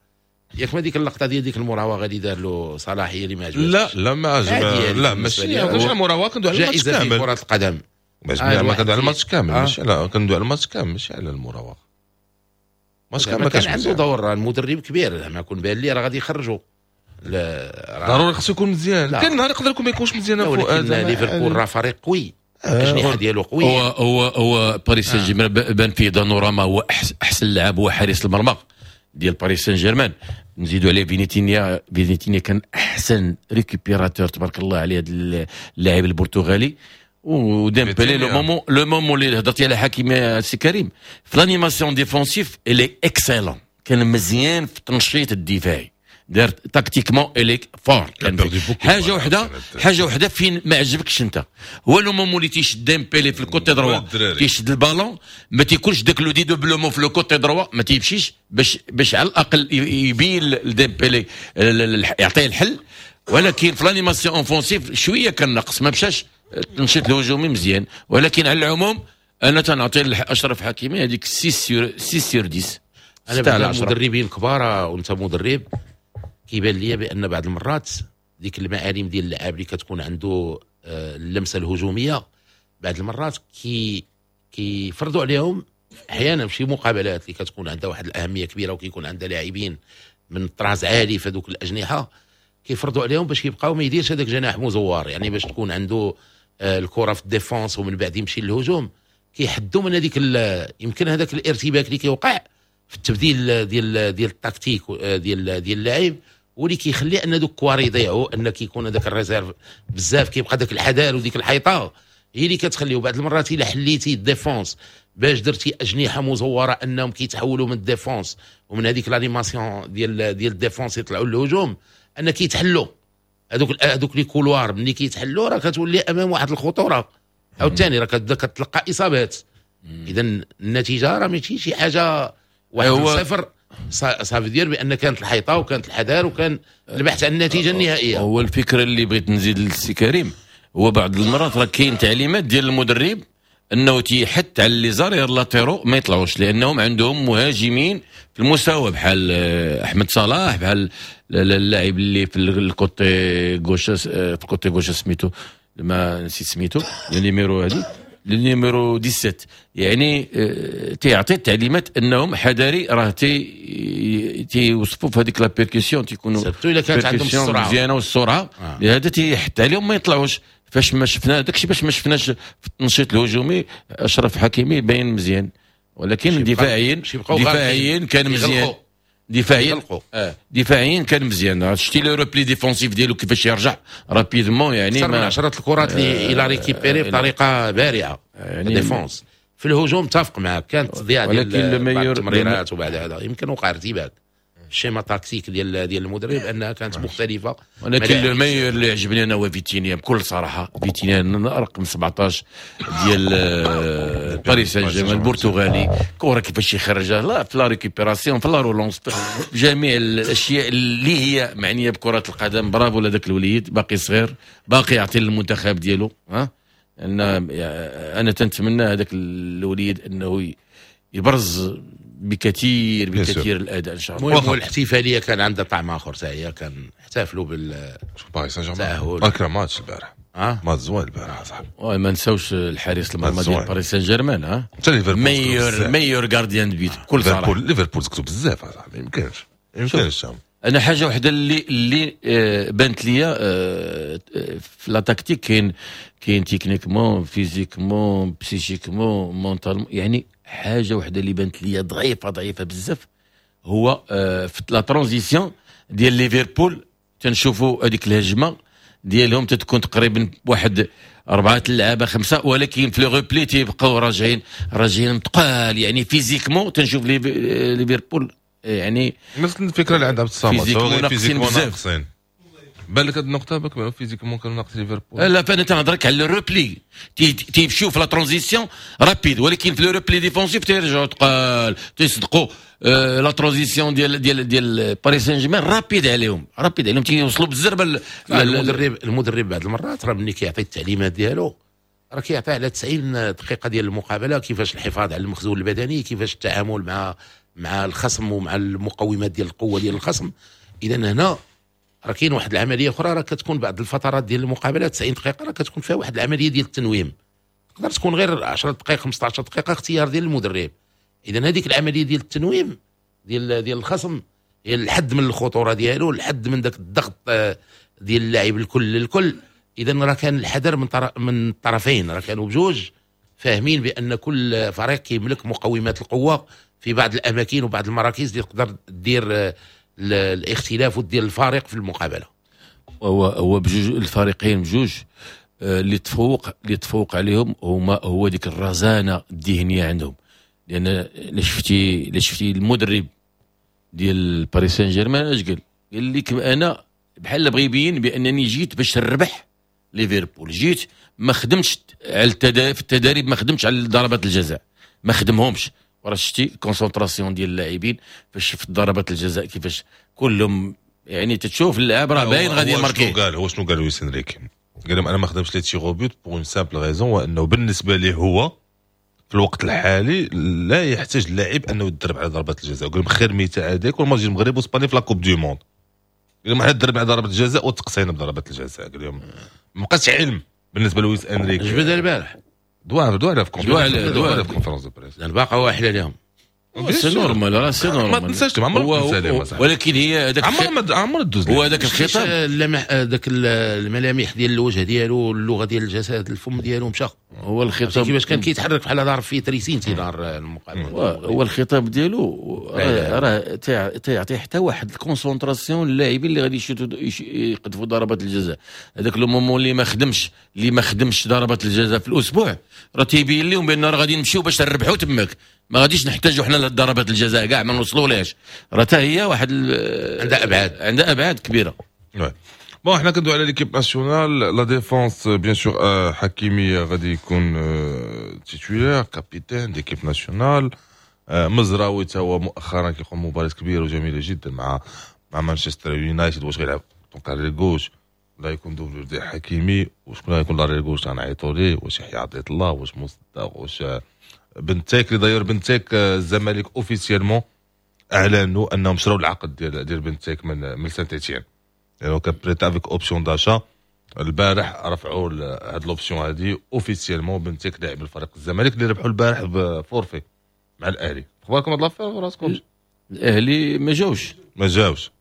ياك ما ديك اللقطة ديال ديك المراوغه اللي دار له صلاح هي اللي ما عجبتش؟ لا لا ما عجب، لا ماشي على المراوغه، كندوي على الماتش كامل. في كره القدم ما كندوي على الماتش كامل، ماشي على، كندوي على الماتش كامل ماشي على المراوغه. الماتش كامل ما كانش عنده دور، المدرب كبير زعما كون بان لي راه غادي يخرجوا. ضروري خصو يكون مزيان، كان نهار يقدر يكون ما يكونش مزيان. فؤاد ليفربول راه فريق قوي، الاجنحة ديالو قوية. هو باريس سان جيرمان بان فيه دوناروما هو احسن لاعب، هو حارس المرمى ديال باريس سان جيرمان. نزيدوا عليه فينيتينيا، فينيتينيا كان احسن récupérateur تبارك الله عليه هذا اللاعب البرتغالي. وديمبلي le moment اللي هضرتي على حكيمي سي كريم في l'animation défensive il est excellent، كان مزيان في التنشيط الدفاعي، دار tactiquement il est fort. حاجة وحده، حاجة وحده فين ما عجبكش انت، هو le moment اللي تيشد ديمبلي في ال côté droit، تيشد البالون ما تيكونش داك le dédoublement في le côté droit، ما تيمشيش باش على الاقل يبين لديمبلي يعطيه الحل. ولكن في l'animation offensive شوية كان ناقص، ما مشاش التنشيط الهجومي مزيان. ولكن على العموم انا تنعطي لاشرف حكيمي هذيك 6 sur 10. انا بعد المدربين الكبار وانت مدرب كيبان لي بان بعض المرات ديك المعالم ديال اللاعب اللي كتكون عنده اللمسة الهجومية بعض المرات كيفرضوا عليهم احيانا في شي مقابلات اللي كتكون عندها واحد الاهمية كبيرة وكيكون عندها لاعبين من طراز عالي في هذوك الاجنحة، كيفرضوا عليهم باش يبقاو ما يديرش هذاك جناح مزوار، يعني باش تكون عنده الكره في ال défense ومن بعد يمشي للهجوم. كيحدوا من هذيك يمكن هذاك الارتباك اللي كيوقع في التبديل ديال التكتيك ديال اللاعب، واللي كيخلي ان دوك كواري يضيعوا، ان كيكون هذاك ال réserve بزاف، كيبقى داك الحذر وديك الحيطة هي اللي كتخليه. بعض المرات الا حليتي ال défense باش درتي اجنحة مزوره انهم كيتحولوا من ال défense ومن هذيك l'animation ديال ال défense يطلعوا للهجوم، ان كيتحلوا هذوك les couloirs ملي كيتحلوا راه كتولي امام واحد الخطورة، عاوتاني راه كتبدا كتلقى اصابات. اذا النتيجة راه ماشي شي حاجة 1-0، ça veut dire بان كانت الحيطة وكانت الحذر وكان البحث عن النتيجة النهائية. هو الفكرة اللي بغيت نزيد للسي كريم، هو بعض المرات راه كاين تعليمات ديال المدرب انه تيحث على les arrières latéraux ما يطلعوش، لانهم عندهم مهاجمين في المستوى بحال احمد صلاح، بحال اللاعب اللي في ال côté gauche، في ال côté gauche سميتو ما نسيت سميتو، ال numéro هذه ال numéro 17، يعني تيعطي التعليمات انهم حذاري راه تيوصفوا في هذيك la percussion، تيكونوا surtout الا كانت عندهم السرعة مزيانه والسرعة، لهذا تيحث عليهم ما يطلعوش. فاش ما شفنا داكشي، باش ما شفناش في التنشيط الهجومي اشرف حكيمي باين مزيان، ولكن دفاعيا كان مزيان، دفاعيا دفاعيا كان مزيان. شتي le repli défensif ديالو كيفاش يرجع rapidement، يعني اكثر من 10 الكرات اللي il a récupéré بطريقة بارعه يعني défense. في الهجوم اتفق معك كانت تضييع ديال التمريرات، وبعد هذا يمكن وقع ارتباك ال schéma tactique ديال المدرب انها كانت مختلفة. ولكن le meilleur اللي عجبني انا هو فيتينيا بكل صراحة، فيتينيا رقم 17 ديال باريس سان جيرمان البرتغالي، كره كيفاش يخرجها لا في la récupération في la relance، في جميع الاشياء اللي هي معنية بكره القدم. برافو لذاك الوليد، باقي صغير باقي يعطي للمنتخب ديالو. ها ان انا تنتمنى هذاك الوليد انه يبرز بكثير بكثير الاداء ان شاء الله. المهم الاحتفالية كان عندها طعم اخر، حتى هي كان احتفلوا بال باريس سان جيرمان. اكره ماتش البارح، ماتش زوين البارح صاحبي. ما نساوش الحارس المرمى ديال باريس سان جيرمان، ها meilleur gardien de but بكل صراحة. ليفربول سكتوا بزاف اصاحبي، ما يمكنش ما يمكنش. انا حاجة وحده اللي بانت ليا في la tactique، كاين techniquement physiquement psychiquement mentalement، يعني حاجة وحده اللي بانت ليا ضعيفة بزاف هو في la transition ديال ليفربول. تنشوفوا هذيك الهجمة ديالهم تتكون تقريبا واحد 4 اللعابه 5، ولكن في le repli تيبقاو راجعين ثقال، يعني physiquement تنشوف ليفربول يعني نفس الفكرة اللي عند عبد الصمد، physiquement ناقصين. بالك هاد النقطة بالك physiquement كانوا ناقصين ليفربول. لا فانا تنهضرك على ال repli، تيمشيو في la transition rapide، ولكن في le repli défensif تيرجعوا ثقال، تيصدقوا la transition ديال ديال ديال باريس سان جيرمان rapide عليهم، rapide عليهم تيوصلوا بالزربه. المدرب بعض المرات راه ملي كيعطي التعليمات ديالو راه كيعطي على 90 دقيقة ديال المقابلة، كيفاش الحفاظ على المخزون البدني، كيفاش التعامل مع مع الخصم ومع المقومات ديال القوة ديال الخصم. اذا هنا راه كاين واحد العملية اخرى، راه كتكون بعض الفترات ديال المقابلات 90 دقيقة راه كتكون فيها واحد العملية ديال التنويم، تقدر تكون غير 10 دقائق 15 دقيقة اختيار ديال المدرب. اذا هذيك العملية ديال التنويم ديال الخصم هي الحد من الخطورة ديالو، الحد من ذاك الضغط ديال اللاعب الكل للكل. اذا راه كان الحذر من الطرفين، راه كانوا بجوج فاهمين بان كل فريق كيملك مقومات القوة في بعض الاماكن وبعض المراكز اللي تقدر دير الاختلاف ودير الفارق في المقابلة. هو بجوج الفريقين بجوج اللي تفوق عليهم هما هو ديك الرزانه الذهنية عندهم، لان الا شفتي المدرب ديال باريس سان جيرمان اش قال لك انا بحال بغى يبين بانني جيت باش نربح ليفربول، جيت ما خدمتش على في التدريب، ما خدمتش على ضربات الجزاء، ما خدمهمش. وراه شتي concentration ديال اللاعبين فاش شفت ضربات الجزاء كيفاش كلهم، يعني تتشوف اللاعب راه باين غادي يماركي. هو شنو قال لويس انريكي؟ قال لهم انا ما خدمتش les tirs au but pour une simple raison، وانه بالنسبة ليه هو في الوقت الحالي لا يحتاج اللاعب انه يتدرب على ضربات الجزاء. قال لهم خير مثال هذاك والماتش المغرب واسبانيا في la Coupe du Monde، قال لهم حنا تدربنا على ضربات الجزاء وتقصينا بضربات الجزاء. قال لهم ما بقاش علم بالنسبة لويس انريكي. جبدها البارح دوا في conférence de presse، لان باقا واحله لهم. c'est normal، راه c'est normal، ما تنساش عمر، ولكن هي هذاك عمر دوز هو هذاك الخطاب، ذاك الملامح ديال الوجه ديالو، اللغة ديال الجسد، الفم ديالو مشى. هو الخطاب كيفاش كان كيتحرك بحال ضارب فيه تريسين تيدار المقابلة. هو الخطاب ديالو راه تيعطي حتى واحد ال concentration للاعبين اللي غادي يقذفوا ضربات الجزاء. هذاك le moment اللي ما خدمش ضربات الجزاء في الاسبوع راه تيبين لهم بان راه غادي نمشيو باش نربحوا تماك، ما غاديش نحتاجوا حنا لضربات الجزاء كاع، ما نوصلوا لهاش. راه حتى هي واحد عندها ابعاد كبيرة. bon حنا كندوي على l'équipe nationale، la défense bien sûr حكيمي غادي يكون titulaire capitaine d'équipe nationale. مزراوي تا هو مؤخرا كيقوم مباراة كبيرة وجميلة جدا مع مانشستر يونايتد. واش غيلعب donc arrière gauche ولا يكون doublure ديال حكيمي؟ وشكون غيكون l'arrière gauche غنعيطوا ليه؟ واش يحيى عطية الله؟ واش مصدق؟ واش بنتيك؟ اللي داير بنتيك الزمالك officiellement اعلنوا انهم شراو العقد ديال بنتيك من سانت ايتيان، يعني كان prêt avec option d'achat. البارح رفعوا هاد l'option هادي officiellement. بنتيك لاعب الفريق الزمالك اللي ربحوا البارح ب forfait مع الاهلي. اخباركم هاد l'affaire وراسكم؟ الاهلي ما جاوش.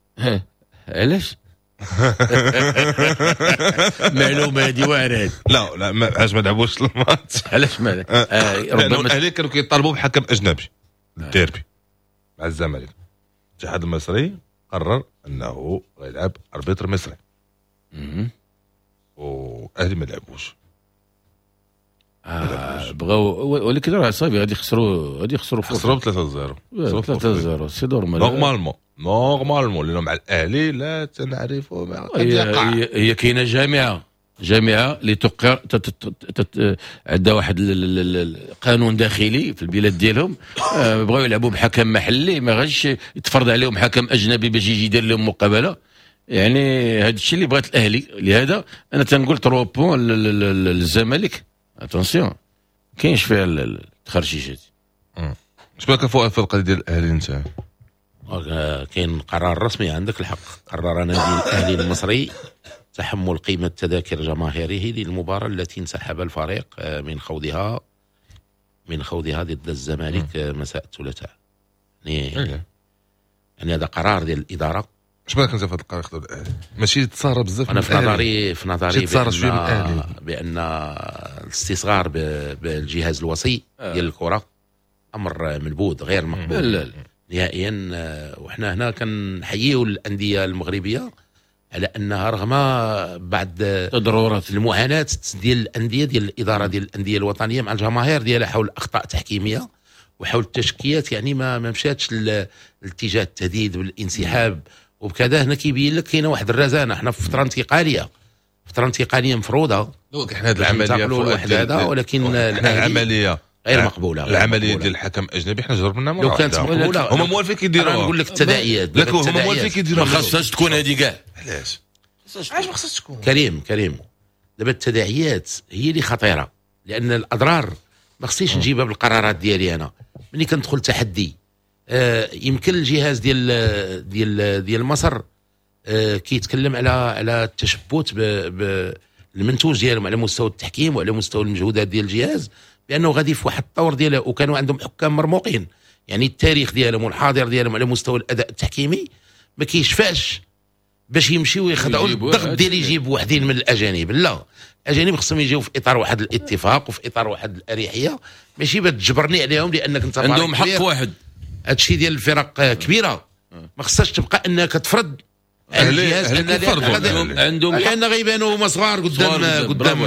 علاش؟ معلومة هذه واعرة. لا لا علاش ما لعبوش الماتش؟ علاش ما ربما الاهلي كانوا كيطالبوا بحكم اجنبي الديربي مع الزمالك. الاتحاد المصري قرر انه غيلعب arbitre مصري، والاهلي ما لعبوش. بغاو، ولكن راه صافي غادي يخسروا خسروا 3-0. 3-0 c'est normal normalement لانه مع الاهلي لا تنعرفوا ما قد يقع. هي كاينه جامعه اللي تقر عندها واحد القانون داخلي في البلاد ديالهم. بغاو يلعبوا بحكم محلي، ما غاديش يتفرض عليهم حكم اجنبي باش يجي يدير لهم مقابله. يعني هذا الشيء اللي بغات الاهلي. لهذا انا تنقول 3 points للزمالك. attention كاينش فيها التخرشيشات. اش بالك فؤاد في القضية ديال الاهلي انت؟ كاين قرار رسمي، عندك الحق. قرر نادي الاهلي المصري تحمل قيمة تذاكر جماهيره للمباراة التي انسحب الفريق من خوضها ضد الزمالك مساء الثلاثاء. يعني هذا قرار ديال الادارة. اش بالك انت في هذا القرار خداو الاهلي؟ ماشي تصارى بزاف. انا في نظري بان الاستصغار بالجهاز الوصي ديال الكره امر منبوذ غير مقبول نهائيا. وحنا هنا كنحييو الاندية المغربية على انها رغم بعض تضررات المعاناة ديال الاندية ديال الادارة ديال الاندية الوطنية مع الجماهير ديالها حول اخطاء تحكيميه وحول التشكيات، يعني ما مشاتش الاتجاه التهديد بالانسحاب وبكذا. هنا كيبين لك كاينه واحد الرزانه. حنا في فترة انتقالية، فترة انتقالية مفروضة. donc حنا هذه العملية واحد هذا، ولكن العملية غير مقبولة. العملية ديال الحكم اجنبي حنا جربنا مرة لو كانت مقبولة هما موالفين كيديروها. نقول لك التداعيات، لكن هما موالفين كيديروها. ما خاصهاش تكون هذه كاع. علاش ما خاصهاش تكون؟ كريم دابا التداعيات هي اللي خطيرة، لان الاضرار ما خصنيش نجيبها بالقرارات ديالي انا. ملي كندخل تحدي يمكن الجهاز ديال ديال ديال مصر كيتكلم على التشبث بالمنتوج ديالهم على مستوى التحكيم وعلى مستوى المجهودات ديال الجهاز، بانه غادي في واحد الطور دياله، وكانوا عندهم حكام مرموقين، يعني التاريخ ديالهم والحاضر ديالهم على مستوى الاداء التحكيمي ما كيشفعش باش يمشيو يخضعوا للضغط ديال يجيبوا وحدين من الاجانب. لا، الاجانب خصهم يجيو في اطار واحد الاتفاق وفي اطار واحد الاريحيه، ماشي باش تجبرني عليهم لانك انت عندهم حق واحد. هادشي ديال الفرق كبيرة ما خصهاش تبقى انك تفرض على الجهاز عندهم، لان غيبانوا هما صغار قدام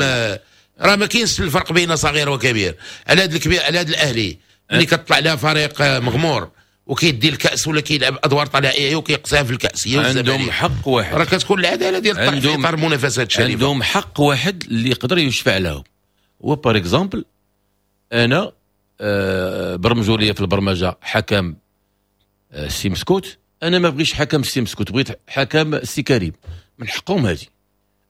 راه ما كاينش الفرق بين صغير وكبير. على هذا الكبير، على هذا الاهلي ملي كتطلع لها فريق مغمور وكيدي الكاس ولا كيلعب ادوار طلائعيه وكيقصيها في الكاس، عندهم حق واحد. راه كتكون العدالة ديال الطرف في اطار منافسات شريفه. عندهم حق واحد اللي يقدر يشفع لهم. هو par exemple انا برمجوا لي في البرمجة حكم سي مسكوت، انا ما بغيتش حكم سي مسكوت، بغيت حكم سي كريم، من حقهم هذه.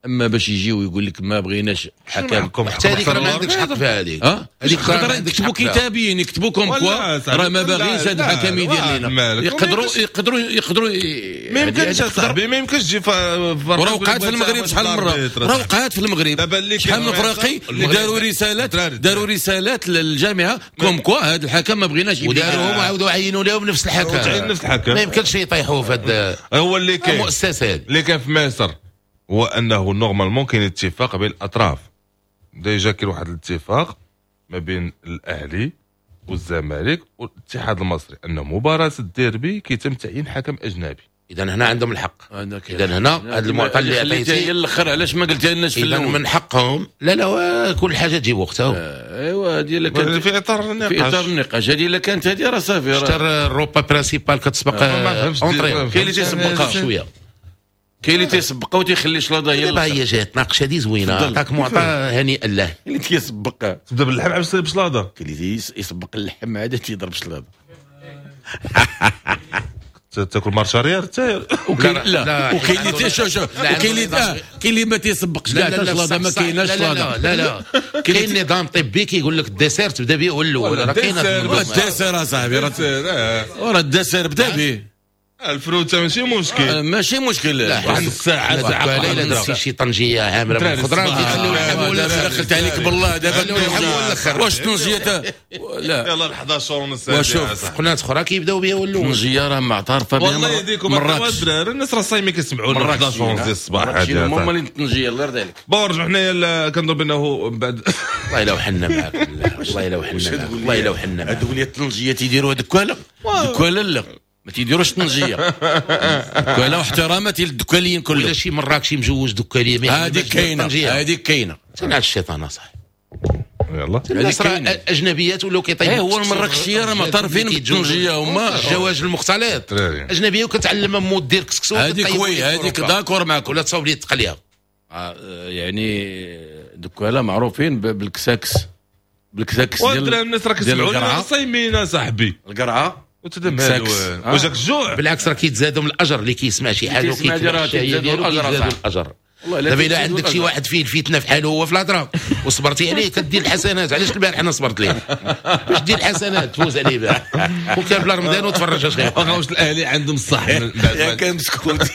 اما باش يجيو ويقول لك ما بغيناش حكم، حتى هذيك راه ما عندكش حق في هذيك. هذيك يكتبوا كتابيين، يكتبوا comme quoi راه ما باغينش هذا الحكم يدير لينا. يقدروا يقدروا ما يمكنش اصاحبي، ما يمكنش تجي. راه وقعت في المغرب شحال من مرة، راه وقعت في المغرب شحال من فراقي داروا رسالات، داروا رسالات للجامعة comme quoi هذا الحكم ما بغيناش، وداروهم وعاودوا عينوا لهم نفس الحكم. ما يمكنش يطيحوا في هذا. هو اللي كاين المؤسسات اللي كان في مصر هو انه normalement كاين اتفاق بين الاطراف. déjà كاين واحد الاتفاق ما بين الاهلي والزمالك والاتحاد المصري ان مباراة الديربي كيتم تعيين حكم اجنبي. اذا هنا عندهم الحق. اذا هنا هذا المعطى اللي عطيتي هي الاخر، علاش ما قلتها لناش في الاول؟ من حقهم. لا لا، كل حاجة تجيب وقتها. ايوا هذه الا كانت في اطار النقاش، في اطار النقاش هذه الا كانت هذه راه صافي. راه ال repas principal كتسبق entrée، كاين اللي تيسبقها شوية، كاين اللي تيسبقها وتيخلي شلاضه هي. دابا هي جات ناقشة هذه زوينة، عطاك معطى هنيئا له. اللي تيسبقها تبدا باللحم عاد بشلاضه، كاين اللي يسبق اللحم عاد تيضرب شلاضه. تاكل marche arrière حتى. لا، وكاين اللي شوف، وكاين اللي كاين اللي ما تيسبقش كاع شلاضه، ما كايناش شلاضه. لا لا، كاين نظام طبي كيقول لك ال dessert تبدا به هو الاول. راه كاين ال dessert اصاحبي، راه ال dessert بدا به. الفروته ماشي مشكل، ماشي مشكل. واحد الساعة ساعة الا نسي شي طنجيه عامرة بالخضره كيخليو اللحم ولا دخلت عليك بالله دابا واش طنجيه؟ لا يلا 11 ونص. وشوف قناة اخرى كيبداو بها ولا طنجيه راه معترفة بها. والله يهديكم الدراري، الناس راه صايمين كيسمعوا 11 ونص ديال الصباح. هذه هما اللي طنجيه الله يرضي عليك. bon رجعوا حنايا كنظن بانه بعد والله الا وحنا معاك، والله الا وحنا معاك، والله الا وحنا معاك. هذوك اللي الطنجيه تيديروا دكاله دكاله، لا ما تيديروش طنجيه دكاله، واحتراماتي للدكاليين كلهم. ولا شي مراكشي مجوج دكاليه، هذيك كاينه، هذيك كاينه. تنعل الشيطان اصاحبي. يلا الناس راه اجنبيات ولاو كيطيبوا. ايه هو المراكشيه راه معترفين بالطنجيه هما. الزواج المختلط اجنبية وكتعلم مو دير كسكسو. هذيك oui، هذيك d'accord معاك. ولا تصاوب لي التقليه. يعني دكاله معروفين بالكساكس، بالكساكس ديال الناس راه كيسمعوا صايمين اصاحبي. القرعة وجاك الجوع. بالعكس راه كيتزادوا من الاجر اللي كيسمع شي حاجة وكيتزادوا الاجر. دابا الا عندك شي واحد فيه الفتنة في حاله هو في الهضرة وصبرتي عليه كدير الحسنات. علاش البارح انا صبرت ليه باش دير الحسنات تفوز عليه البارح وكان بلا رمضان وتفرج اش غير. واش الاهلي عندهم الصح؟ يا كان مسكوت.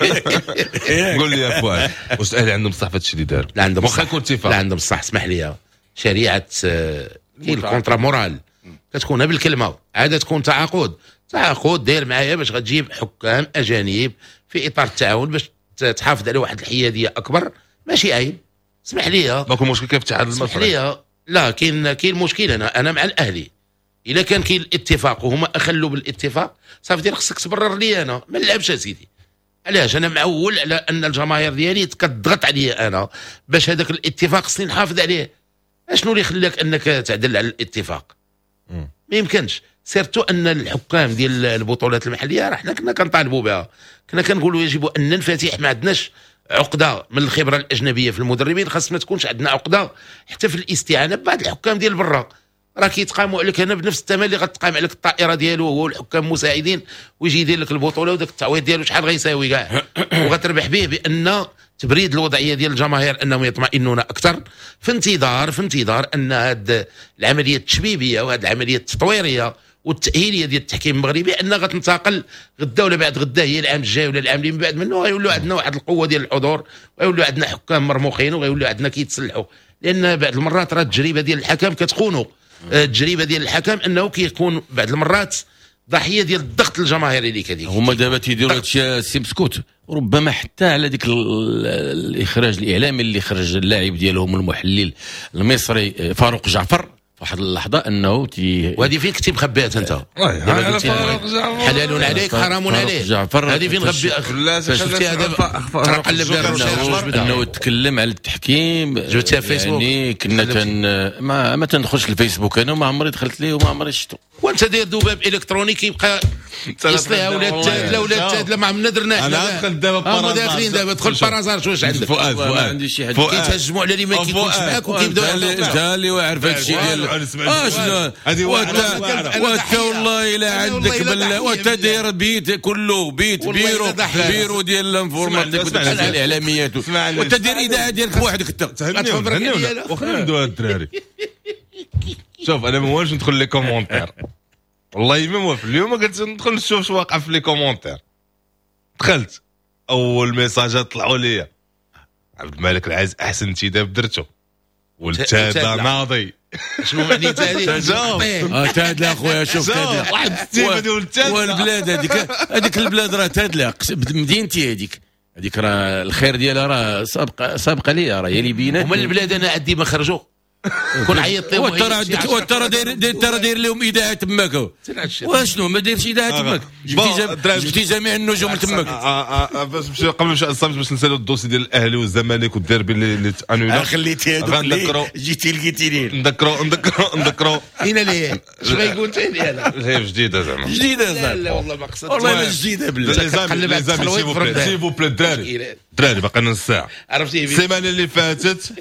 قول لي يا فؤاد، واش الاهلي عندهم الصح في هادشي اللي داروا؟ لا عندهم واخا يكون اتفاق. لا عندهم الصح. اسمح لي، شريعة كاين ال contrat moral كتكون بالكلمة، عادة تكون تعاقد، تعاقد داير معايا باش غتجيب حكام اجانب في اطار التعاون باش تحافظ على واحد الحيادية اكبر. ماشي عيب، اسمح لي. ماكو مشكل كيف الاتحاد المصري؟ اسمح لي، لا كاين مشكل. انا مع الاهلي. الا كان كاين الاتفاق وهما اخلوا بالاتفاق صافي دير خصك تبرر لي انا ما نلعبش اسيدي. علاش انا معول على ان الجماهير ديالي كتضغط عليا انا باش هذاك الاتفاق خصني نحافظ عليه. اشنو اللي خلاك انك تعدل على الاتفاق؟ ما يمكنش. surtout ان الحكام ديال البطولات المحلية راه حنا كنا كنطالبوا بها، كنا كنقولوا يجب ان ننفتح، ما عندناش عقده من الخبرة الاجنبية في المدربين، خاص ما تكونش عندنا عقده حتى في الاستعانة ببعض الحكام ديال برا. راه كيتقاموا عليك هنا بنفس الثمن اللي غتقام عليك الطائرة ديالو هو والحكام مساعدين، ويجي يدير لك البطولة وداك التعويض ديالو شحال غيساوي كاع، وغتربح به بان تبريد الوضعية ديال الجماهير انهم يطمئنون اكثر، في انتظار ان هذه العملية التشبيبيه وهذه العملية التطويريه والتاهيليه ديال التحكيم المغربي، انها غتنتقل غدا ولا بعد غدا، هي العام الجاي ولا العام اللي من بعد منه، غيولوا عندنا واحد القوة ديال الحضور، وغيولوا عندنا حكام مرموقين، وغيولوا عندنا كيتسلحوا. لان بعض المرات راه التجربة ديال الحكم كتخونو، التجربة ديال الحكم انه كيكون بعض المرات ضحية ديال الضغط الجماهيري اللي كدير. هما دابا تيديروا هادشي السي بسكوت، ربما حتى على ديك الاخراج الاعلامي اللي خرج اللاعب ديالهم المحلل المصري فاروق جعفر واحد اللحظة انه وهذه فين كنتي مخبيات انت؟ حلال عليك حرام عليك. هذه فين غبي شفتي هذا قلب انه تكلم على التحكيم جبتيها في فيسبوك. يعني كنا ما تندخلش الفيسبوك انا، وما عمري دخلت ليه وما عمري شفتو. وانت داير ذباب الكتروني كيبقى يصليها ولا تادله ولا تادلة، ما عمرنا درنا حنا. انا دخلت دابا par hasard، داخلين دابا دخل par hasard واش عندك فؤاد؟ ما عندي شي حد. كيتهجموا على اللي ما كيكونش معاك وكيبداو انت اللي واعر في هادشي ديال اشنو وانت والله الا عندك وانت داير بيت كله بيت bureau ديال ال informatique الاعلاميات، وانت داير اذاعة ديالك بوحدك انت. وخلينا ندوي الدراري. شوف انا ما والش ندخل les commentaires، والله ما موافق. اليوم قلت ندخل نشوف شو واقع في les commentaires، دخلت اول ميساجات طلعوا لي عبد الملك العز احسن انتداب درته، والتادا ناضي. شنو معني تادي؟ تادلا اخويا، شوف تادلا واحد ستيفن والتادلا والبلاد هذيك البلاد راه تادلا مدينتي هذيك راه الخير ديالها راه سابقه ليا، راه هي اللي بينات. ومن البلاد انا عندي ما خرجوا كون عيط لهم. وترى داير لهم اذاعة تماك، واشنو ما دايرش اذاعة تماك؟ جبتي جميع النجوم تماك. باش نمشي قبل ما نمشي الصمت باش نسالوا ال dossier ديال الاهلي والزمالك والديربي اللي تانولا. خليتي هذوك جيتي لقيتيني. نذكروا هنا ليه اش غيقول ثاني انا؟ هي جديدة زعما، جديدة زعما. لا والله ما قصدت، والله ما جديدة بالله. les amis s'il vous plaît الدراري الدراري باقي نص ساعة. عرفتي السيمانة اللي فاتت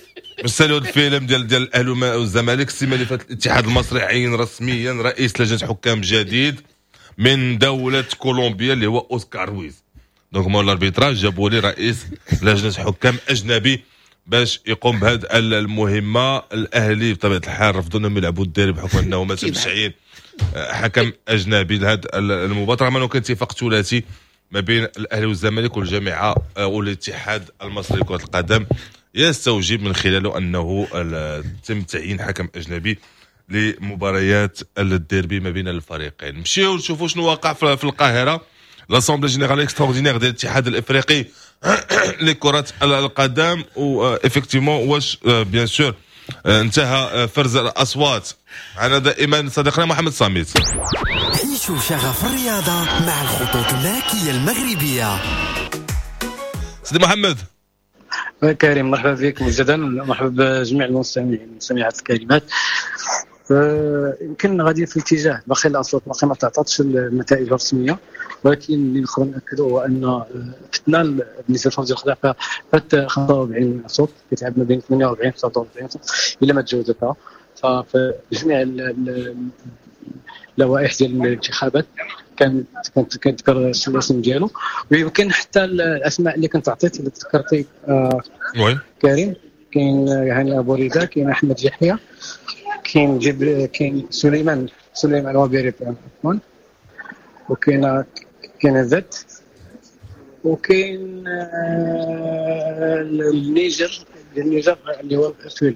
باش نسالوا الفيلم ديال الاهلي والزمالك. السيمانة اللي فاتت الاتحاد المصري عين رسميا رئيس لجنة حكام جديد من دولة كولومبيا اللي هو اوسكار رويز. donc مول ال arbitrage جابوا لي رئيس لجنة حكام اجنبي باش يقوم بهذه المهمة. الاهلي بطبيعة الحال رفضوا انهم يلعبوا الديربي بحكم انه ما تمش تعيين حكم اجنبي لهذه المباراة، رغم انه كان اتفاق ثلاثي ما بين الاهلي والزمالك والجامعة والاتحاد المصري لكرة القدم يستوجب من خلاله انه تم تعيين حكم اجنبي لمباريات الديربي ما بين الفريقين. نمشيو نشوفوا شنو واقع في القاهرة. l'assemblée générale extraordinaire ديال الاتحاد الافريقي لكرة القدم، و effectivement واش bien sûr انتهى فرز الاصوات. معنا دائما صديقنا محمد صامت. عيشوا شغف الرياضة مع الخطوط الملكية المغربية. سيدي محمد كريم، مرحبا بك مجددا، مرحبا بجميع المستمعين والمستمعات الكريمات. يمكن غادي في اتجاه باقي الاصوات باقي ما تعطاتش النتائج الرسمية، ولكن اللي نقدر ناكدوا هو ان فتنا بالنسبة لفوزي الخضر فات 45 صوت، كيتلعب ما بين 48 49 صوت الا ما تجاوزتها. ففي جميع اللوائح ديال الانتخابات كانت كتذكر الاسم ديالو، ويمكن حتى الاسماء اللي كنت عطيت اللي تذكرتي كريم، كاين هاني ابو ريده، كاين احمد يحيى، كاين كاين سليمان وبيري عفوا، وكاين ذات، وكاين النيجر اللي هو فيل.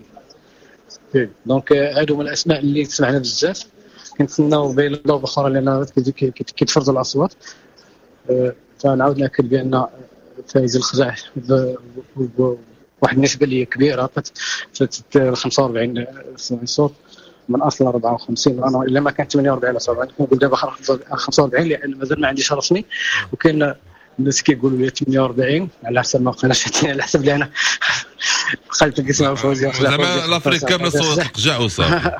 donc هادو من الاسماء اللي سمعنا بزاف، كنتسناو بين ضوء اخرى لان كيتفرزوا الاصوات. فنعاود ناكد بان فايز الخزاع بواحد النسبة اللي كبيرة 45 صوت من اصل 54، انا الا ما كانت 48 ولا 47 كنقول دابا 45 لان مازال ما عنديش رسمي، وكاين الناس كيقولوا لي 48 على حسب ما قالش على حسب اللي انا قلت كنسمع فوزي زعما l'Afrique كاملة صوت القجع وصافي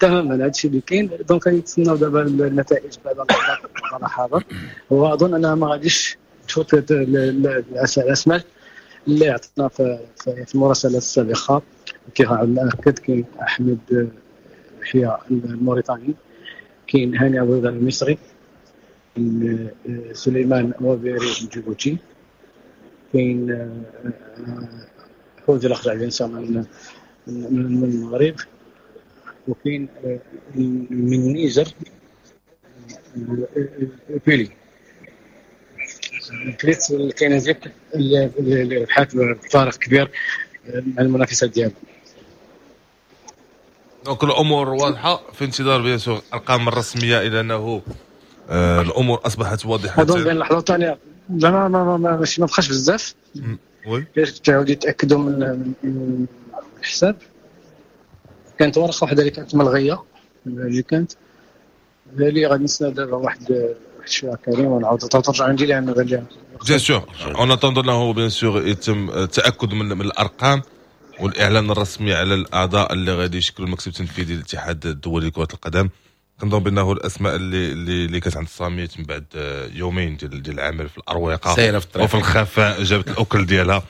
تماما هذا الشيء اللي كاين. donc كنتسناو دابا النتائج بعد اللحظات، واظن انها ما غاديش تفوت الاسماء اللي عطنا في المراسله السابقة. كيف ناكد كاين احمد يحيى الموريتاني، كاين هاني ابو رضا المصري، سليمان وبيري الجيبوتي، كاين فوزي الأخضر الانسان من المغرب، وكاين من النيجر بيلي. كاين زيد اللي ربحات بفارق كبير مع المنافسات ديالها. donc الامور واضحة في انتظار bien sûr الارقام الرسمية، الى انه الامور اصبحت واضحة. اظن بين اللحظة الثانية زعما ما ما ماشي ما بقاش بزاف، oui باش تعاود يتاكدوا من الحساب. كانت ورقة واحدة اللي كانت ملغيه، اللي كانت اللي غادي نستنى دابا واحد شوية كريم ونعاود ترجع عندي لان غادي bien sûr en attendant انه bien sûr يتم التاكد من الارقام والاعلان الرسمي على الاعضاء اللي غادي يشكلوا المكتب التنفيذي للاتحاد الدولي لكرة القدم. كنظن بانه الاسماء اللي كانت عند الصامت من بعد يومين ديال العمل في الاروقه وفي الخفاء جابت الاكل ديالها،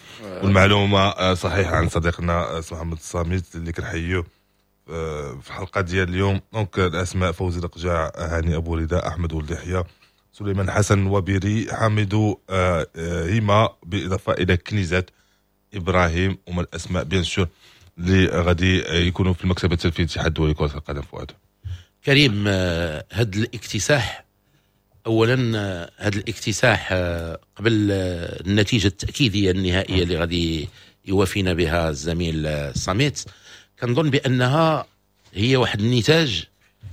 والمعلومه صحيحه عن صديقنا محمد الصامت اللي كنحييه في الحلقة ديال اليوم. donc الاسماء: فوزي القجاع، هاني ابو رداء، احمد ولد يحيى، سليمان حسن وبيري، حامد هيما، بالاضافة الى كنيزات ابراهيم. ومن الاسماء bien sûr اللي غادي يكونوا في المكتب التنفيذي للاتحاد الدولي لكرة القدم. فؤاد كريم، هذا الاكتساح اولا، هذا الاكتساح قبل النتيجة التاكيديه النهائية اللي غادي يوافينا بها الزميل الصميت، كنظن بانها هي واحد النتاج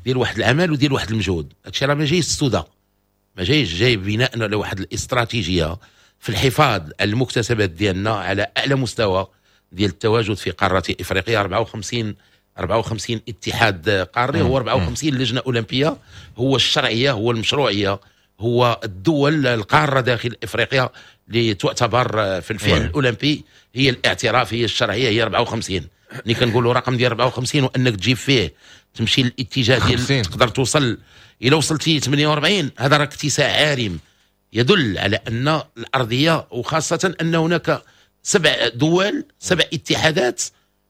ديال واحد العمل وديال واحد المجهود. هادشي راه ما جايش السودة، ما جايش، جاي بناء على واحد الاستراتيجية في الحفاظ على المكتسبات ديالنا على اعلى مستوى ديال التواجد في قارة افريقيا. 54 اتحاد قاري، هو 54 لجنة اولمبيه، هو الشرعية، هو المشروعية، هو الدول القارة داخل افريقيا اللي تعتبر في الفعل الاولمبي هي الاعتراف، هي الشرعية، هي 54. ملي كنقولوا رقم ديال 54 وانك تجيب فيه تمشي للاتجاه ديال تقدر توصل، الى وصلتي 48 هذا راه اكتساح عارم يدل على ان الارضية، وخاصة ان هناك 7 دول، 7 اتحادات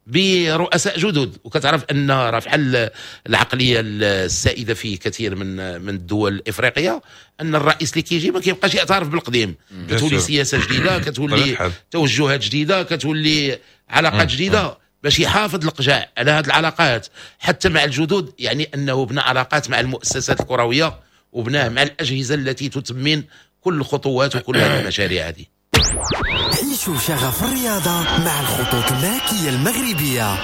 برؤساء جدد، وكتعرف ان راه بحال العقلية السائدة في كثير من الدول الافريقية ان الرئيس اللي كيجي ما كيبقاش يعترف بالقديم، كتولي سياسة جديدة، كتولي توجهات جديدة، كتولي علاقات جديدة باش يحافظ القجاع على هذه العلاقات حتى مع الجدد. يعني انه بنى علاقات مع المؤسسات الكروية وبناه مع الاجهزة التي تتمن كل الخطوات وكل هذه المشاريع هذه. عيشوا شغف الرياضة مع الخطوط الملكية المغربية.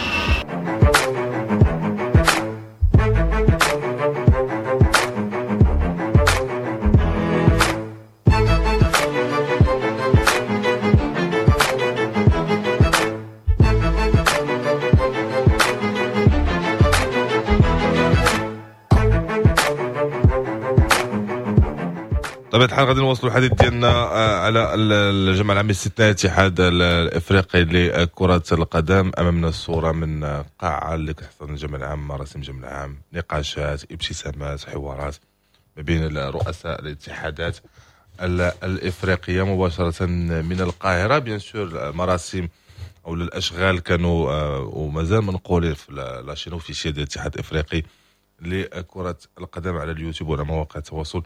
بطبيعة الحال غادي نواصلوا الحديث ديالنا على الجمع العام الاستثنائي الاتحاد الافريقي لكرة القدم. امامنا الصورة من قاعة اللي كتحتضن الجمع العام، مراسم الجمع العام، نقاشات، ابتسامات، حوارات ما بين رؤساء الاتحادات الافريقية مباشرة من القاهرة. bien sûr المراسم او الاشغال كانوا ومازال منقولين في la chaîne officielle ديال الاتحاد الافريقي لكرة القدم على اليوتيوب وعلى مواقع التواصل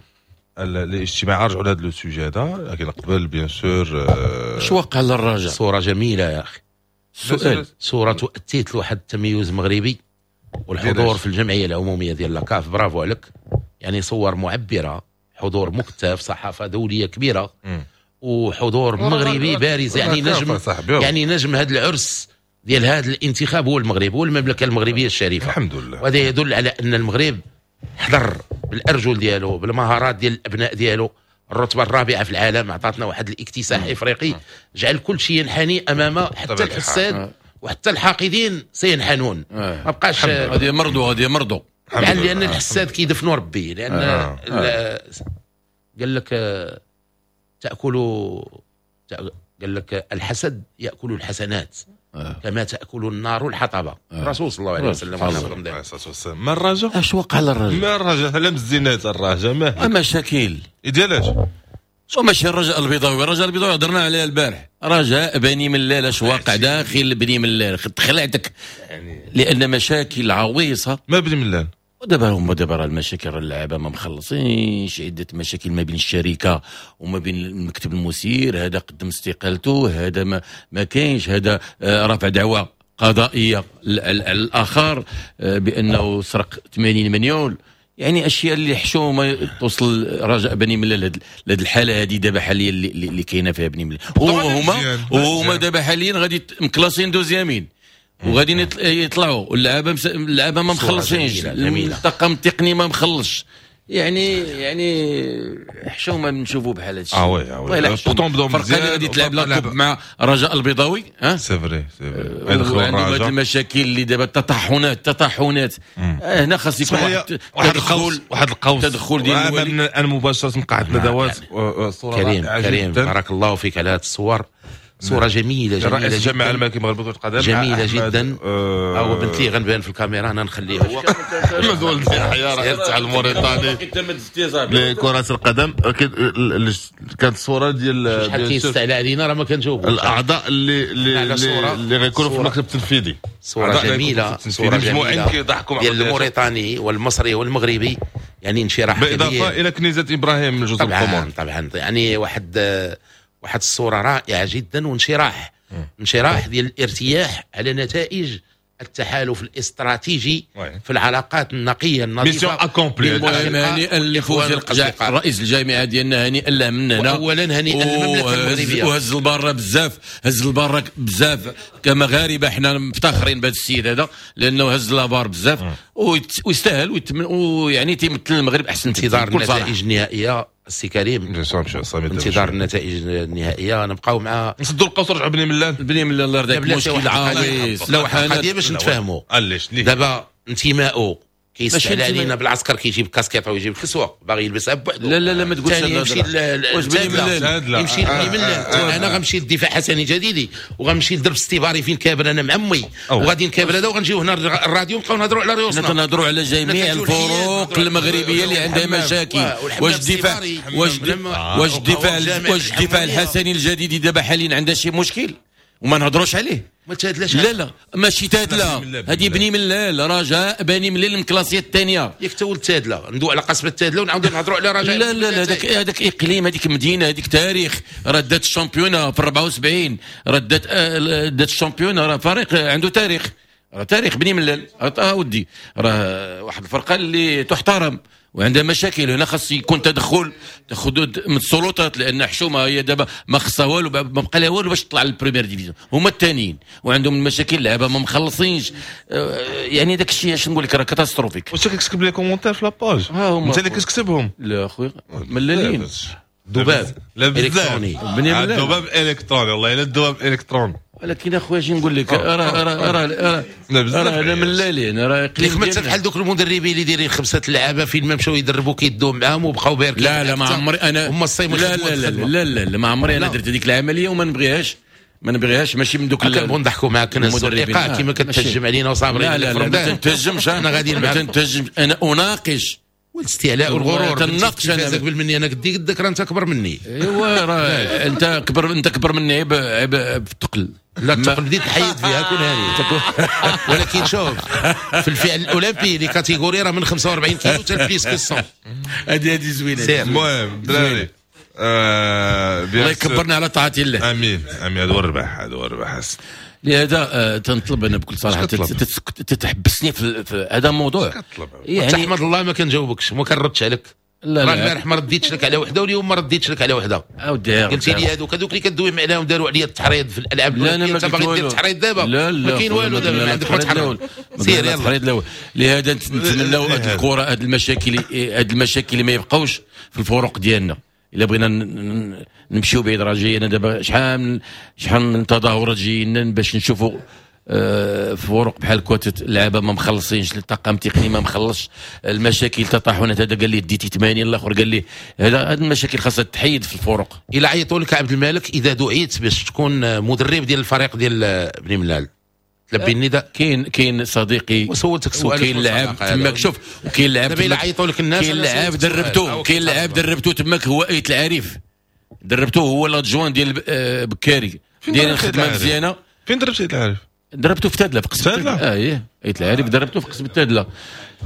الاجتماعي. رجعوا لهذا le sujet هذا، لكن قبل bien sûr اش وقع للرجاء؟ صوره جميلة يا اخي، سؤال، صوره تؤتيت لواحد التميز مغربي والحضور في الجمعية العمومية ديال la CAF. برافو عليك، يعني صور معبرة، حضور مكتف، صحافة دولية كبيرة وحضور مغربي بارز. يعني نجم، يعني نجم هذا العرس ديال هذا الانتخاب هو المغرب، هو المملكة المغربية الشريفة، الحمد لله. وهذا يدل على ان المغرب حضر بالارجل ديالو، بالمهارات ديال الابناء ديالو. الرتبة الرابعة في العالم عطاتنا واحد الاكتساح افريقي جعل كل شيء ينحني امام حتى الحساد وحتى الحاقدين سينحنون. ما بقاش غادي يمرضوا، غادي يمرضوا، لان الحساد كيدفنوا ربي. لان قال لك تاكل، قال لك الحسد ياكل الحسنات كما تاكل النار الحطبه. الرسول صلى الله عليه وسلم. ما الرجاء؟ اش وقع للرجاء؟ ما الرجاء؟ لا مزينات الرجاء، ما مشاكل ديالاش؟ ماشي الرجاء البيضاوي، الرجاء البيضاوي هضرنا عليها البارح. رجاء بني ملال، اش واقع داخل بني ملال؟ خلعتك يعني، لان مشاكل عويصة. ما بني ملال ودابا هما دابا راه المشاكل، راه اللعابه ما مخلصينش، عده مشاكل ما بين الشركة وما بين المكتب المسير، هذا قدم استقالته، هذا ما كاينش، هذا رافع دعوه قضائية على الاخر بانه سرق 80 مليون. يعني اشياء اللي حشومه توصل رجاء بني ملال لهاد الحالة هذه دابا حاليا اللي كاينه فيها بني ملال. وهما دابا حاليا غادي مكلاسين deuxième وغادي يطلعوا، واللعابه ما مخلصينش، الطاقم التقني ما مخلصش. يعني حشومه نشوفوا بحال هادشي. oui oui pourtant بداو مزيان، الفرقة اللي غادي تلعب la coupe مع رجاء البيضاوي c'est vrai c'est vrai عندهم هاد المشاكل اللي دابا التطحنات هنا خاص يكون واحد القوس، واحد القوس تدخل ديال الوالي. انا مباشرة من قاعة ندوات. صوره كريم بارك الله فيك على هذه الصور، صورة جميلة جميلة. رئيس الجامعة الملكية المغربية لكرة القدم جميلة جدا. هو بنت لي غنبان في الكاميرا، أنا نخليه هو. مزول يحيى رئيس تاع الموريتاني لكرة القدم. كانت الصورة ديال شحال كيستعلى علينا راه ما كنجاوبوش. الأعضاء اللي اللي غيكونوا في المكتب التنفيذي. صورة جميلة، صورة جميلة ديال الموريتاني والمصري والمغربي، يعني انشراح كبير. بالإضافة إلى كنيزة إبراهيم من جزر القمر. طبعا يعني واحد الصورة رائعة جدا، وانشراح انشراح ديال الارتياح على نتائج التحالف الاستراتيجي في العلاقات النقية النظيفة. mission accomplie. المهم هنيئا لفوزي القجع رئيس الجامعة ديالنا، هنيئا له من هنا. اولا هنيئا للمملكة المغربية، وهز الباره بزاف، هز الباره بزاف كمغاربه، حنا مفتخرين بهذا السيد هذا لانه هز la barre بزاف ويستاهل، ويعني تيمثل المغرب احسن. انتظار النتائج النهائية السي كريم، انتظار النتائج النهائية. نبقاو مع نسدوا القوس ورجعوا بني ملال. بني ملال الله يرضيك، مشكل عويص. لا واحد القضية باش نتفاهموا، دابا انتمائه كيستعلى علينا بالعسكر، كيجيب كاسكيطه ويجيب الكسوة باغي يلبسها بوحدو. لا لا لا ما تقولش يمشي يمشي لبني ملال. انا غنمشي للدفاع حسني جديدي، وغنمشي لدرب استباري فين كابر انا مع امي، وغادي نكابر هذا، وغنجيو هنا الراديو نبقاو نهضروا على ريوسنا. حنا تنهضروا على جميع الفروق المغربية اللي عندها مشاكل. واش الدفاع واش الدفاع الحسني الجديدي دابا حاليا عندها شي مشكل وما نهضروش عليه؟ ما تادلاش. لا لا ماشي تادلا، هذه بني ملال، رجاء بني ملال ال classée الثانية. ياك تا ولد تادلا، ندوي على قصبه تادلا ونعاودو نهضروا على رجاء. لا لا لا، هذاك اقليم، هذيك مدينة، هذيك تاريخ. راه دات ال championnat في 74، راه دات ال championnat، راه فريق عنده تاريخ، راه تاريخ بني ملال. ودي راه واحد الفرقة اللي تحترم وعندها مشاكل. هنا خاص يكون تدخل من السلطات، لان حشومه هي دابا ما خصها والو، ما بقى لها والو باش تطلع لل première division. هما الثانيين وعندهم المشاكل، اللعابه ما مخلصينش، يعني داك الشيء اش نقول لك راه catastrophique. واش كتكتب les commentaires في la page؟ انت اللي كتكتبهم؟ لا اخويا ملالين. ذباب الكتروني، الذباب الالكتروني، والله الا الذباب الالكتروني. ولكن اخويا اش نقول لك، راه راه راه راه انا ملالين، راه قليل. ما بحال دوك المدربين اللي دايرين 5 لعابه فين ما مشاو يدربوا كيدوهم معاهم وبقاو باركين. لا لا ما عمري انا، هما الصيم. لا لا لا لا لا, لا ما عمري انا درت هذيك العملية وما نبغيهاش، ما نبغيهاش. ماشي من دوك كنبغوا نضحكوا معاك المدربين كيما كتهجم علينا وصابرين. لا لا لا ما تنتهجمش انا، غادي ما تنتهجمش انا، اناقش. والاستعلاء والغرور تناقش انا قبل مني، انا قدي قدك، راه انت اكبر مني. ايوا راه انت اكبر، انت اكبر مني عيب في الثقل. لا الثقل بديت نحيد فيها كون هاني. ولكن شوف في الفعل الاولمبي les catégories راه من 45 كيلو حتى plus que 100. هذه زوينة. المهم دراري الله يكبرنا على طاعة الله. امين امين. هذا هو الربح، هذا هو الربح. لهذا تنطلب انا بكل صراحة تتحبسني في هذا الموضوع. يعني تحمد الله ما كنجاوبكش، ما كنردش عليك. لا لا البارح ما رديتش لك على وحده، واليوم ما رديتش لك على وحده. قلتي لي هذوك اللي كدوي عليهم داروا عليا التحريض في الالعاب. لا انا ما باغي دير التحريض دابا. لا لا ما كاين والو دابا، ما عندك ما تحرض. سير يلا التحريض الاول. لهذا نتمناو هذه الكره، هذه المشاكل، هذه المشاكل ما يبقاوش في الفروق ديالنا. الا بغينا نمشيو بعيد راه جاينا دابا شحال من تظاهرات جايين باش نشوفوا فروق بحال كوات اللعابه ما مخلصينش، الطاقم التقني ما مخلصش، المشاكل تطاحنات. هذا قال لي ديتي 80، الاخر قال لي هذا. هذه المشاكل خاصها تحيد في الفروق. الا عيطوا لك عبد الملك اذا دعيت باش تكون مدرب ديال الفريق ديال بني ملال، تلبي النداء؟ كاين صديقي وسولتك سؤال، وكاين لعاب تماك. شوف وكاين لعاب دابا الا عيطوا لك الناس، كاين لعاب دربتو، كاين لعاب دربتو تماك، هو ايت العريف دربتو، هو l'adjoint ديال بكاري، داير الخدمة مزيانه. فين دربتي ايت العريف؟ دربته في تادله، في قصبه تادله. ايه ايت العارف دربته في قصبه تادله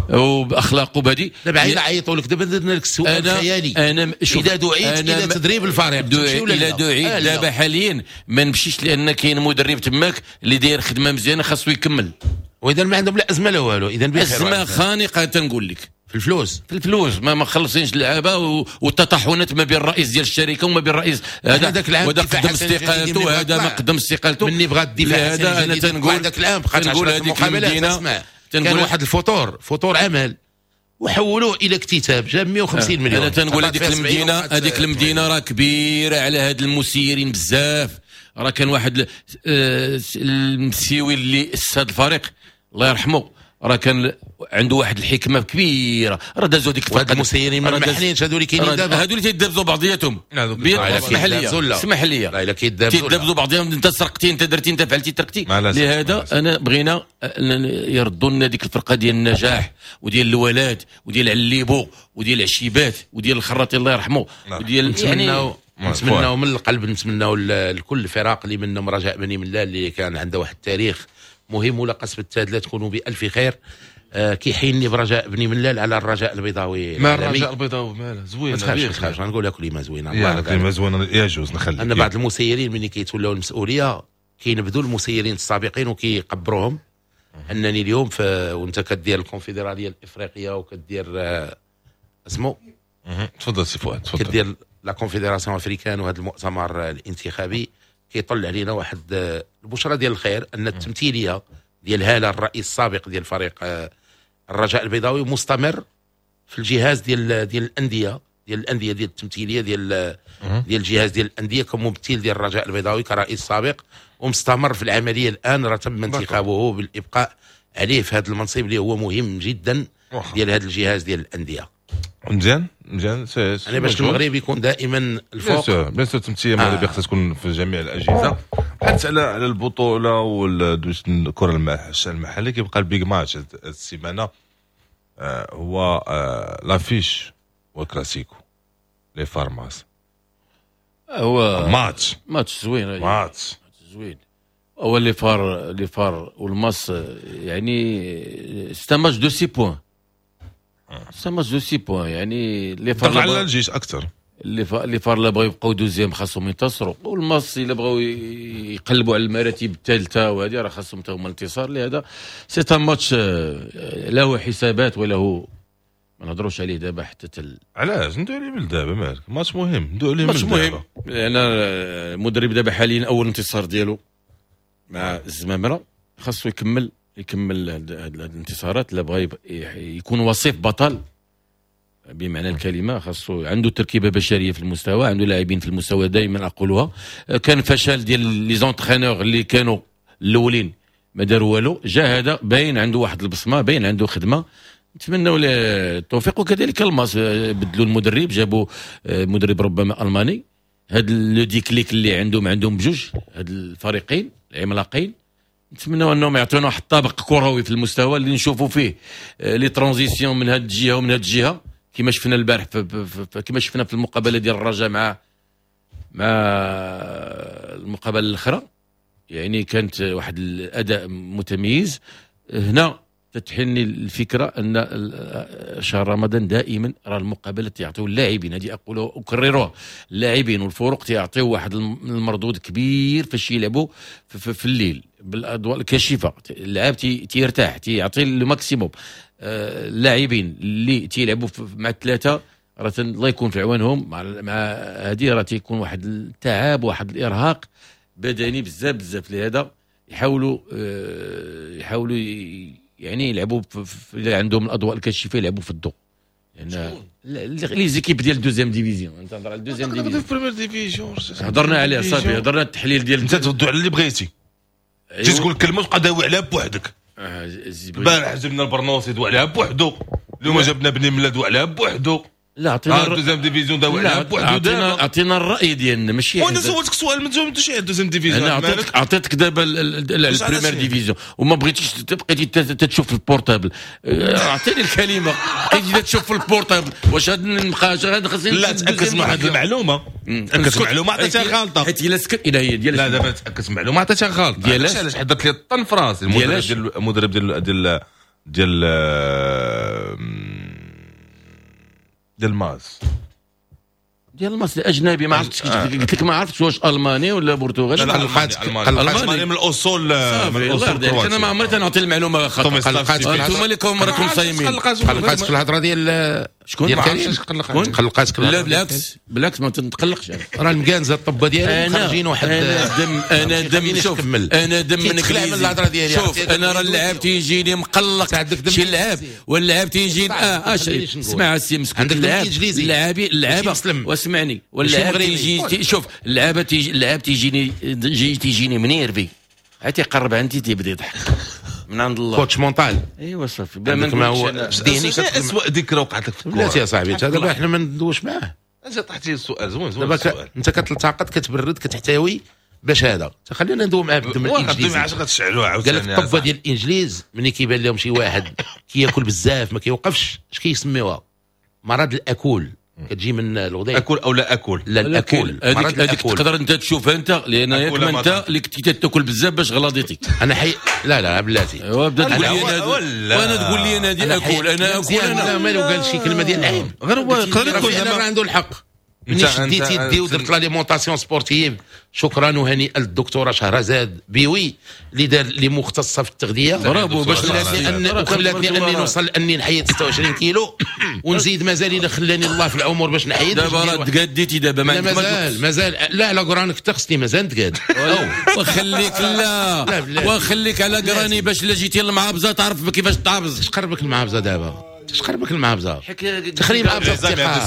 وباخلاقه بهذه. دابا عيط عيطوا لك، دابا درنا لك السؤال الخيالي. انا اذا دعيت الى تدريب الفريق الى دعيت دابا حاليا ما نمشيش، لان كاين مدرب تماك اللي داير خدمة مزيانه خاصو يكمل. واذا ما عندهم لا ازمة لا والو، اذا بخير. ازمة خانقه تنقول لك في الفلوس، في الفلوس ما مخلصينش اللعابه، والتطحنات ما بين الرئيس ديال الشركة وما بين الرئيس هذا، وهذا قدم استقالته وهذا ما قدم استقالته. مني بغى الدفاع هذا انا تنقول ذاك العام بقات 10 مقابلات. اسمع، كان واحد الفطور فطور عمل وحولوه الى اكتتاب جاب 150 مليون. انا تنقول هذيك المدينة، هذيك المدينة راه كبيرة على هاد المسيرين بزاف. راه كان واحد المسيوي اللي اسس هذا الفريق الله يرحمه، راه كان عنده واحد الحكمة كبيرة. راه دازوا ديك الفرقة المسيرين ما محلينش، هادو اللي كاينين دابا، هادو اللي تيدابزوا بعضياتهم. اسمح لي، اسمح لي، لا الا كيدابزوا بعضياتهم، انت سرقتي، انت درتي، انت فعلتي، تركتي. لهذا انا بغينا يردوا لنا ديك الفرقة ديال النجاح وديال الولاد وديال عليبو وديال العشيبات وديال الخراطي الله يرحمه وديال يعني نتمناو من القلب، نتمناو لكل الفرق اللي منهم رجاء بني ملال اللي كان عنده واحد التاريخ مهم، ولا قصبة تادلة تكونوا بألف خير. كيحيني برجاء بني ملال على الرجاء البيضاوي. ما الرجاء البيضاوي ماله زوين، ما تخافش غنقول لك كلمة زوينة. يا كلمة زوينة يجوز نخلي. ان بعض المسيرين ملي كيتولاو المسؤولية كينبذوا المسيرين السابقين وكيقبروهم. انني اليوم وانت كدير الكونفدراليه الافريقية وكدير اسمو تفضل سي فؤاد، تفضل. كدير la confédération africaine وهذا المؤتمر الانتخابي كيطلع علينا واحد البشرى ديال الخير، ان التمثيلية ديال هاله الرئيس السابق ديال فريق الرجاء البيضاوي مستمر في الجهاز ديال الاندية، ديال الاندية ديال التمثيلية ديال الجهاز ديال الاندية كممثل ديال الرجاء البيضاوي كرئيس سابق، ومستمر في العملية الان. راه تم انتخابه بالابقاء عليه في هذا المنصب اللي هو مهم جدا ديال هذا الجهاز ديال الاندية. مزيان مزيان. يعني باش المغرب يكون دائما الفوق. bien sûr التمثيلية المغربية خصها تكون في جميع الاجهزة. حتى على البطولة والكره المحلية كيبقى ال big match السيمانة هو l'affiche والكلاسيكو les FAR MAS. هو ماتش زوين، ماتش زوين. هو les FAR، les FAR والماس، يعني c'est un match de 6 points، c'est un match de 6 points. يعني les FAR على الجيش اكثر، les FAR لا بغاو يبقاو deuxième خاصهم ينتصروا، والماس الا بغاو يقلبوا على المراتب الثالثة وهذه راه خاصهم حتى هما الانتصار. لهذا c'est un match له حسابات وله ما نهضروش عليه دابا حتى علاش ندوي عليه من دابا؟ مالك ماتش مهم، ندوي عليه ماتش مهم لان المدرب دابا حاليا اول انتصار ديالو مع الزمامره، خاصو يكمل هاد الانتصارات. لا بغى يكون وصيف بطل بمعنى الكلمة، خاصو عنده تركيبه بشرية في المستوى، عنده لاعبين في المستوى. دائما اقولها، كان فشل ديال les entraîneurs اللي كانوا الاولين ما داروا والو، جا هذا باين عنده واحد البصمة، باين عنده خدمة. نتمنوا له التوفيق. وكذلك الماس بدلوا المدرب، جابوا مدرب ربما الماني. هاد le déclic اللي عندهم بجوج هاد الفريقين العملاقين، نتمنوا انهم يعطونا واحد الطابق كروي في المستوى اللي نشوفوا فيه les transitions من هاد الجهة ومن هاد الجهة، كما شفنا البارح كما شفنا في المقابلة ديال الرجاء مع المقابلة الاخرى. يعني كانت واحد الاداء متميز. هنا تتحني الفكرة ان شهر رمضان دائما راه المقابلات يعطيو اللاعبين، هذه اقولها اكررها، اللاعبين والفرق تيعطيو واحد المردود كبير فاش يلعبوا في الليل بالاضواء الكاشفة. اللاعب تيرتاح، تيعطي le maximum. اللاعبين اللي تيلعبوا مع الثلاثة راه الله يكون في عوانهم، مع هذه راه تيكون واحد التعب واحد الارهاق بدني بزاف بزاف. لهذا يحاولوا يعني يلعبوا اللي عندهم الاضواء الكاشفة يلعبوا في الضوء. يعني les équipes ديال deuxième division، انت نهضر على deuxième division، première division هضرنا عليها صافي، هضرنا التحليل ديال انت تردوا على اللي بغيتي. تجي تقول كلمة تبقى داوي عليها بوحدك. البارح جبنا البرنوسي دوا عليها بوحدو، اليوم جبنا بني ملا دوا عليها بوحدو. لا عطينا deuxième division داوي عليها بوحدو. عطينا الراي ديالنا ماشي. وانا سولتك سؤال ما جاوبتش على deuxième division. انا عطيتك دابا ال première division وما بغيتيش بقيتي تشوف في ال portable. اعطيني الكلمة، بقيتي تشوف في ال portable. واش هاد نبقى خاصني لا تاكد من واحد المعلومة، تاكد معلومة عطيتها غلطه، حيت الا سكت الى هي ديال لا دابا تاكد معلومة عطيتها غلطه. علاش علاش حضرت لي الطن في راسي المدرب ديال ديال ديال ديال الماس، ديال الماس الاجنبي ما عرفتش. قلت لك ما عرفتش واش الماني ولا برتغالي. الماني من الاصول، من الاصول. انا ما عمري تنعطي المعلومة خطا. انتم اللي راكم صايمين. قلقاتك الهضرة ديال شكون؟ ديال كريم قلقاتك؟ لا بالعكس بالعكس ما تنتقلقش. راه المكانزه الطبه ديالهم خارجين واحد. انا دم شوف، انا دم من انجليزي. شوف انا راه اللاعب تيجيني مقلق شي لعاب، واللاعب تيجي اسمع السي مسكين. اللاعب اللعابه واسمعني، واللاعب تيجي شوف اللعابه تيجي، اللاعب تيجيني منيرفي، عاد تيقرب عندي تيبدا يضحك من عند الله. coach mental. ايوا صافي ما هو ذهني. اسوء ذكرى وقعت لك في الكره؟ بلاتي يا صاحبي دابا حنا ما ندوش معاه. انت طرحتي السؤال زوين زوين. دابا انت كتلتقط كتبرد كتحتوي باش هذا خلينا ندوي معاه بالدم الانجليزي. علاش غتشعلوها عاوتاني؟ قال لك الطبه ديال الانجليز ملي كيبان لهم شي واحد كياكل بزاف ما كيوقفش، اش كيسميوها؟ مرض الاكول. كتجي من الغداء اكل او لا اكل؟ لا الاكل. هذيك تقدر انت تشوفها انت، لان ياك ما انت اللي كنتي تاكل بزاف باش غلاضيتي. انا حي لا لا بلاتي. ايوا بدا تقول لي انا، وانا تقول لي انا دي اكل، انا اكل. انا مالو قال شي كلمة ديال العيب، غير هو يقدر يكون راه عنده الحق. ملي شديت يدي ودرت l'alimentation sportive، شكرا وهنيئا للدكتوره شهرزاد بيوي اللي دار اللي مختصة في التغذية. برافو باش خلاتني اني نوصل اني نحيد 26 كيلو ونزيد مازال الا خلاني الله في العمر باش نحيد. دابا راه تقاديتي دابا ما مازال مازال. لا لا قرانك حتى خصني مازال نتقاد. وخليك لا وخليك على قراني باش لا جيتي للمعابزه تعرف كيفاش تعابز. اش قربك المعابزه دابا؟ اش قربك المعابزه؟ تخريب معابزه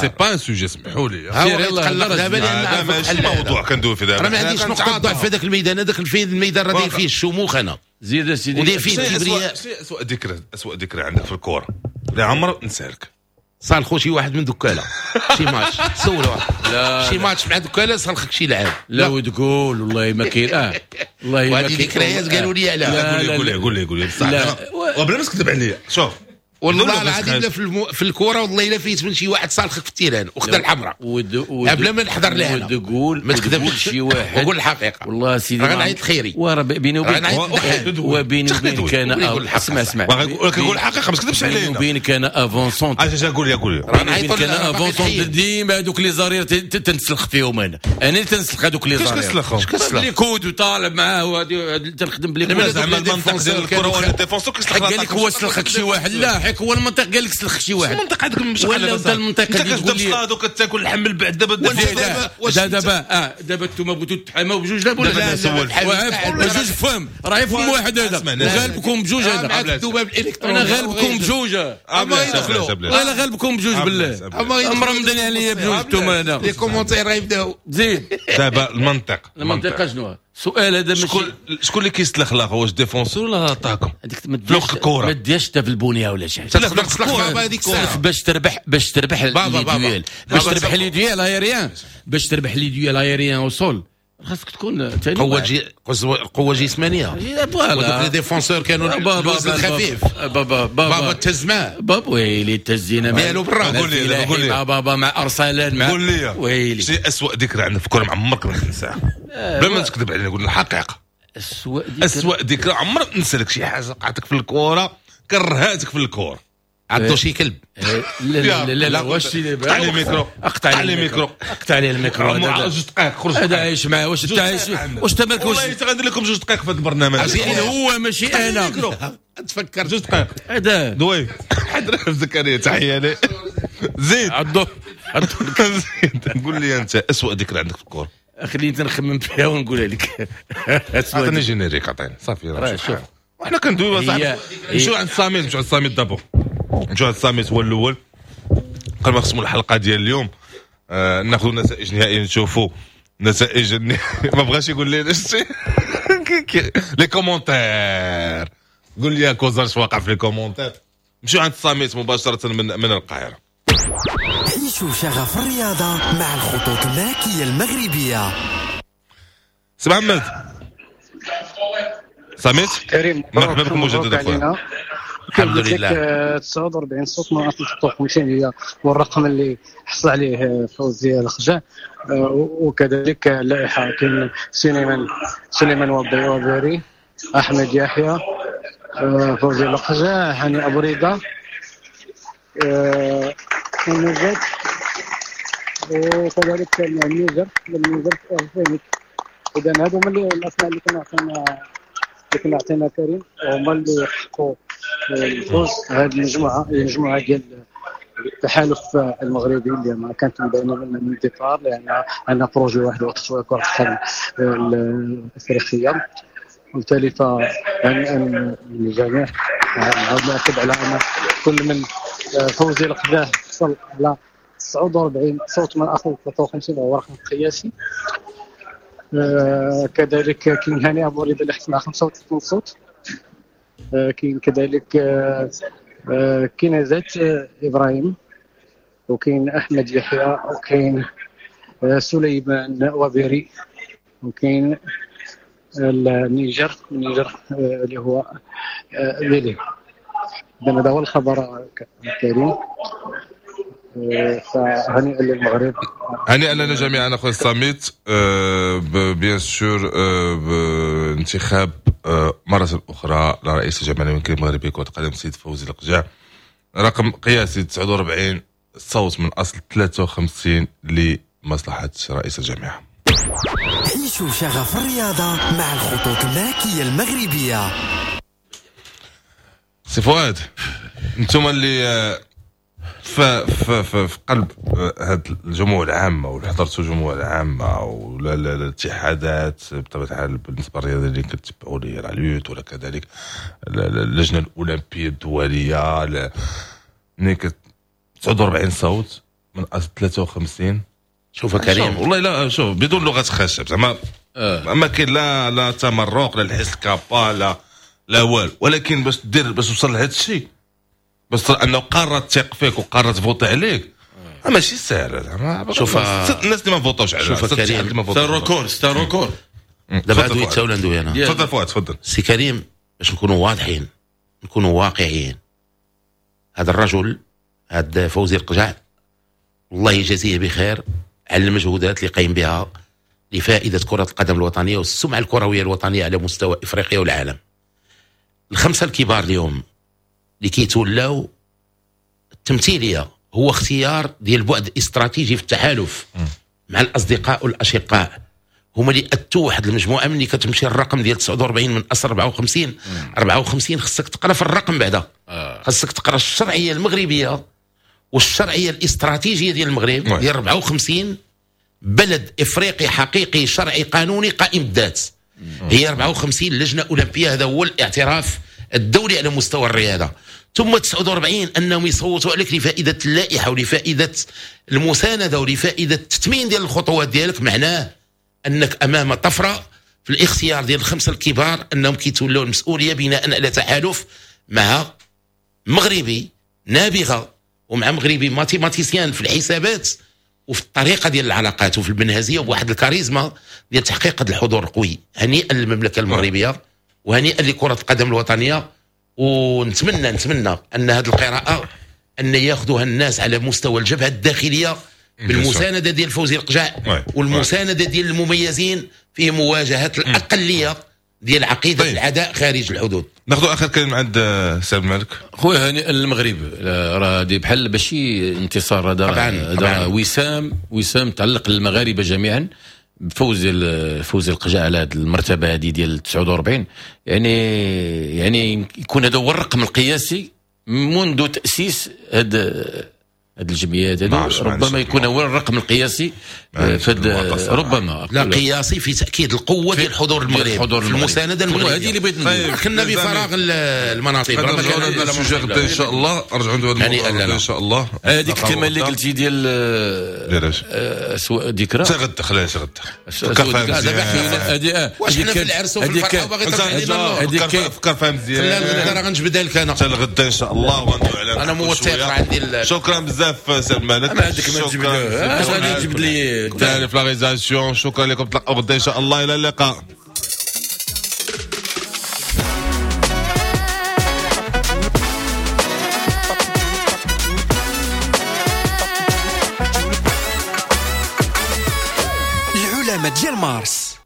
c'est pas un sujet. سمحوا لي هو دابا لان ماشي موضوع كندوي فيه دابا. راه ما عنديش نقطة ضعف في هذاك الميدان. هذاك الميدان راه داير فيه الشموخ. انا زيد سيدي وداير فيه الكبرياء. اسوء ذكرى، اسوء ذكرى عندك في الكره اللي عمر نسالك؟ صالخو شي واحد من دكاله شي ماتش سولو شي ماتش مع دكاله صالخك شي لعاب. لا وتقول والله ما كاين. والله ما كاين. ذكريات قالوا لي عليها. قول لي قول لي قول لي بصح وبلا ما تكذب عليا. شوف والله العظيم لا في الكره والله الا فيت من شي واحد صالخك في ال terrain وخدا الحمراء قبل ما نحضر لها. تقول ما تكذبش شي واحد وقول الحقيقة. والله سيدي راه نعيط خيري. وراه بيني وبينك وبيني وبينك انا اسمع اسمع كنقول الحقيقة ما تكذبش علينا. بيني وبينك انا avant-centre. اش قول لي قول لي. راه نعيط انا avant-centre ديما هذوك les arrières تنسلخ فيهم. انا اللي تنسلخ هذوك les arrières. كيفاش كتسلخهم؟ les coudes وطالب معاه تنخدم ب les coudes. زعما المنطق ديال الكره ولا ال défenseur كيسلخ. قال لك هو سلخك شي واحد. لا حيك هو المنطق قال لك سلخ شي واحد. المنطق عندك مش ولا انت المنطق اللي تقول لي وكتاكل اللحم بعد دابا دابا دابا انتم بغيتو تحاماو بجوج. لا ولا بجوج فهم راه فم واحد هذا وغالبكم بجوج هذا. انا غالبكم بجوج. اما يدخلوا انا غالبكم بجوج بالله. مرمضين عليا بجوج انتم هنا les commentaires غيبداو. زيد دابا المنطق. المنطق شنو السؤال هذا؟ شكون اللي كيسلخ لاخر؟ واش défenseur ولا attaquant؟ هذيك في الكره ما ديرش حتى في البنية ولا شي حاجة. تقدر تسلخ بابا هذيك الساعة باش تربح، باش تربح les duels، باش تربح les duels aériens، باش تربح les duels aériens au sol خاصك تكون قوة جسمانيه. ودوك les défenseurs كانوا الوزن الخفيف. بابا بابا تهز معاه. بابا ويلي تهزينا مالو بالراس. قول لي قول لي بابا مع ارسلان مع قول لي ويلي شي اسوء ذكرى عندك في الكره ما عمرك ما تنساها. بلا ما تكذب علينا قول الحقيقة. اسوء ذكرى عمرك ننسى لك شي حاجة وقعتك في الكره كرهاتك في الكره. عضو شي كلب. لا لا لا لا واش اقطع لي الميكرو، اقطع لي الميكرو، اقطع لي الميكرو. جوج دقائق خرج. هذا عايش معاه. واش انت عايش؟ واش انت مالك؟ والله غندير لكم جوج دقائق في هذا البرنامج. هو ماشي انا. تفكر جوج دقائق هذا دوي حضر زكريا تحية لي. زيد عضو زيد قول لي انت اسوء ذكرى عندك في الكره. خليني نخمم فيها ونقولها لك. عطيني générique، عطيني صافي. شوف وحنا كندويو صاحبي. نمشيو عند الصامت، نمشيو عند الصامت دابا. نمشيو عند الصامت هو الاول قبل ما نختموا الحلقة ديال اليوم. ناخذوا النتائج النهائية، نشوفوا نتائج ما بغاش يقول لي شتي les commentaires. قول لي كوزار اش واقع في les commentaires. نمشيو عند الصامت مباشرة من القاهرة. عيشوا عيشوا شغف الرياضة مع الخطوط الملكية المغربية. سي محمد سميت كريم، مرحبا بكم مجددا خويا. الحمد لله. 49 صوت من اصل 56 هي والرقم اللي حصل عليه فوزي القجع، وكذلك اللائحة كاين سليمان وبيري، احمد يحيى، فوزي القجع، هاني ابو رضا، النجات، وكذلك النيجر فهمت. اذا هادو هما الاسماء اللي كنا عطينا كريم، هما اللي حققوا الفوز. هذه المجموعة ديال التحالف المغربي اللي ما كانت مبينة من ال départ، لان عندنا projet واحد هو تطوير كره القدم الافريقية، وبالتالي ف الجميع نعاود ناكد على ان كل من فوزي القجع حصل على 49 صوت من اصل 53، وهو رقم قياسي. كذلك كاين هاني ابو رضا اللي حصل على 35 صوت. كاين كذلك كاين ابراهيم، وكاين احمد يحيى، وكاين سليمان وبيري، وكاين النيجر اللي هو بيلي. هذا هو الخبر الكريم. فهنيئا للمغرب، هنيئا لنا جميعا اخويا الصميت. bien sûr بانتخاب مرة أخرى لرئيس الجامعة الملكية المغربية كرة القدم السيد فوزي القجع، رقم قياسي 49 صوت من أصل 53 لمصلحة رئيس الجامعة. عيشوا شغف الرياضة مع الخطوط الملكية المغربية. سي فؤاد، انتم اللي في في في قلب هاد الجموع العامة ولا حضرتوا الجموع العامة ولا الاتحادات بطبيعة الحال بالنسبة للرياضة اللي كتبعوا لي la lutte ولا كذلك اللجنة الاولمبية الدولية، ملي 49 صوت من اصل 53. شوف كريم، والله لا شوف بدون لغة خشب زعما ما كاين لا تمرق لا الحس الكابا لا والو، ولكن باش دير باش توصل لهذا الشيء، بس انه قارة تثق فيك وقارة تفوتي عليك ماشي ساهل. شوف الناس اللي ما فوتوش عليها. شوف كريم، c'est un record. دابا دويت ولا ندوي انا؟ تفضل فؤاد تفضل. سي كريم، باش نكونوا واضحين، نكونوا واقعيين، هذا الرجل هذا فوزي القجع الله يجازيه بخير على المجهودات اللي قايم بها لفائدة كره القدم الوطنية والسمعة الكروية الوطنية على مستوى افريقيا والعالم. الخمسة الكبار اليوم اللي كيتولاو التمثيلية هو اختيار ديال بعد استراتيجي في التحالف مع الاصدقاء والاشقاء، هما اللي اتوا واحد المجموعة. ملي كتمشي الرقم ديال 49 من اصل 54 54 خصك تقرا في الرقم بعدا، خصك تقرا الشرعية المغربية والشرعية الاستراتيجية ديال المغرب ديال 54 بلد افريقي حقيقي شرعي قانوني قائم الذات. هي 54 لجنة اولمبيه، هذا هو الاعتراف الدولي على مستوى الرياضة. ثم 49 انهم يصوتوا عليك لفائدة اللائحة ولفائده المساندة ولفائده التثمين ديال الخطوات ديالك، معناه انك امام طفرة في الاختيار ديال الخمسة الكبار انهم كيتولوا المسؤولية بناء على تحالف مع مغربي نابغه ومع مغربي mathématicien في الحسابات وفي الطريقة ديال العلاقات وفي المنهجية وبواحد الكاريزما ديال تحقيق هذا الحضور القوي. هنيئا للمملكة المغربية وهنيئا لكرة القدم الوطنية، ونتمنى نتمنى ان هذه القراءة ان ياخذوها الناس على مستوى الجبهة الداخلية بالمسانده ديال فوزي القجع والمسانده ديال المميزين في مواجهة الاقلية ديال عقيدة طيب. العداء خارج الحدود. ناخذ اخر كلمة عند سي عبد الملك. خويا هنيئا للمغرب، راه هذه بحال ماشي انتصار، هذا وسام تعلق للمغاربة جميعا بفوز فوز القجع على هذه المرتبة هذه ديال 49. يعني يكون هذا هو الرقم القياسي منذ تاسيس هذا الجمعيات هذو، ربما يكون هو الرقم القياسي ربما لا قياسي في تاكيد القوة ديال الحضور المغربي في المساندة المغربية. هذه اللي بغيت نقول، كنا بفراغ المناطق ربما ان شاء الله رجعوا ندوي هذا ان شاء الله. هذيك الكلمة اللي قلتي ديال سواء ذكرى غدا خليها غدا هذه واش حنا في العرس وفي الفرحة وباغي ترجع فكر فيها مزيان. لا غدا راه غنجبدها لك انا حتى الغدا ان شاء الله وغندوي عليها. انا موثق عندي. شكرا بزاف. بزاف سي الملك. ما عندك ما تجيب له، اش غادي تجيب لي ثاني في la réalisation. شكرا لكم، تلقاو غدا ان شاء الله، الى اللقاء. العلماء ديال مارس.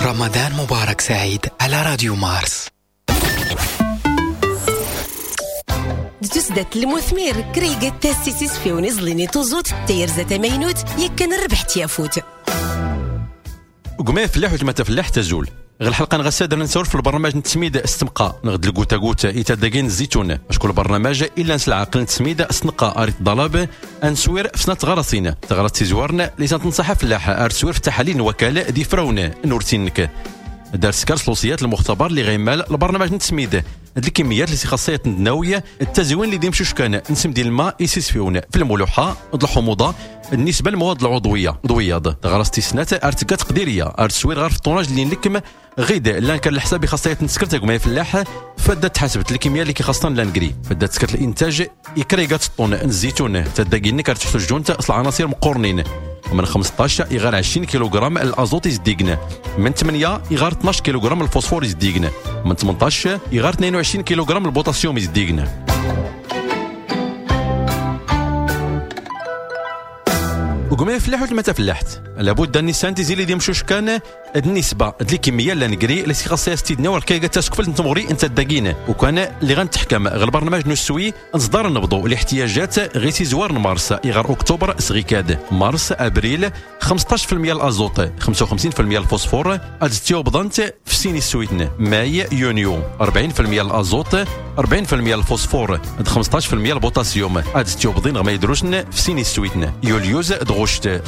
رمضان مبارك سعيد على راديو مارس. تسدت المثمر كريقة تاسيسيس في ونزليني توزوت تيرزة مينوت يكن ربح تيافوت. وقما فلاح وتما تفلاح تزول غير الحلقة نغساد نسور في البرنامج نتسميد استمقى نغد الكوتا كوتا يتداكين الزيتون اشكون البرنامج الا نسلع عقل نتسميد استنقى اريت الضلاب انسوير في سنة غرسين تغرس تيزوارن اللي تنصح فلاح ارسوير في تحاليل وكالة دي فرون نورتينك دار سكر سلوسيات المختبر اللي غيمال البرنامج نتسميد هاد الكميات اللي خاصية النووية التزوين اللي ديمشوش كان نسم ديال الماء يسيسفيون في الملوحه الحموضة بالنسبة للمواد العضوية ضوياض غرستي سنة ارتكا تقديرية ارتسوير غير في الطوناج اللي نلكم غيد لان كان الحساب خاصية نسكر تاع فلاح فدا تحسبت الكمية اللي كيخاصنا لانكري فدا تسكرت الانتاج يكريغات الطون الزيتون تداكينك كارتحسو جونت اصل العناصر مقورنين من 15 يغار 20 كيلوغرام الازوت يزديقن من 8 يغار 12 كيلوغرام الفوسفور يزديقن من 18 يغار 22 كيلوغرام البوتاسيوم يزديقن. وقما فلاح ولا ما تفلحت لابد ان السانتيزي اللي ديمشوش كان النسبة ديال الكمية لا نكري اللي خاصها ستيدنا والكيغا تسكفل نتمغري انت الداكين وكان اللي غنتحكم غير البرنامج نسوي نصدر نبضو الاحتياجات غير زوار مارس يغار اكتوبر سغيكاد مارس ابريل 15% الازوت 55% الفوسفور ادستيو بضنت في سيني السويتن ماي يونيو 40% الازوت 40% الفوسفور 15% البوتاسيوم ادستيو بضين غما يدروشن في سيني السويتن يوليوز دغشت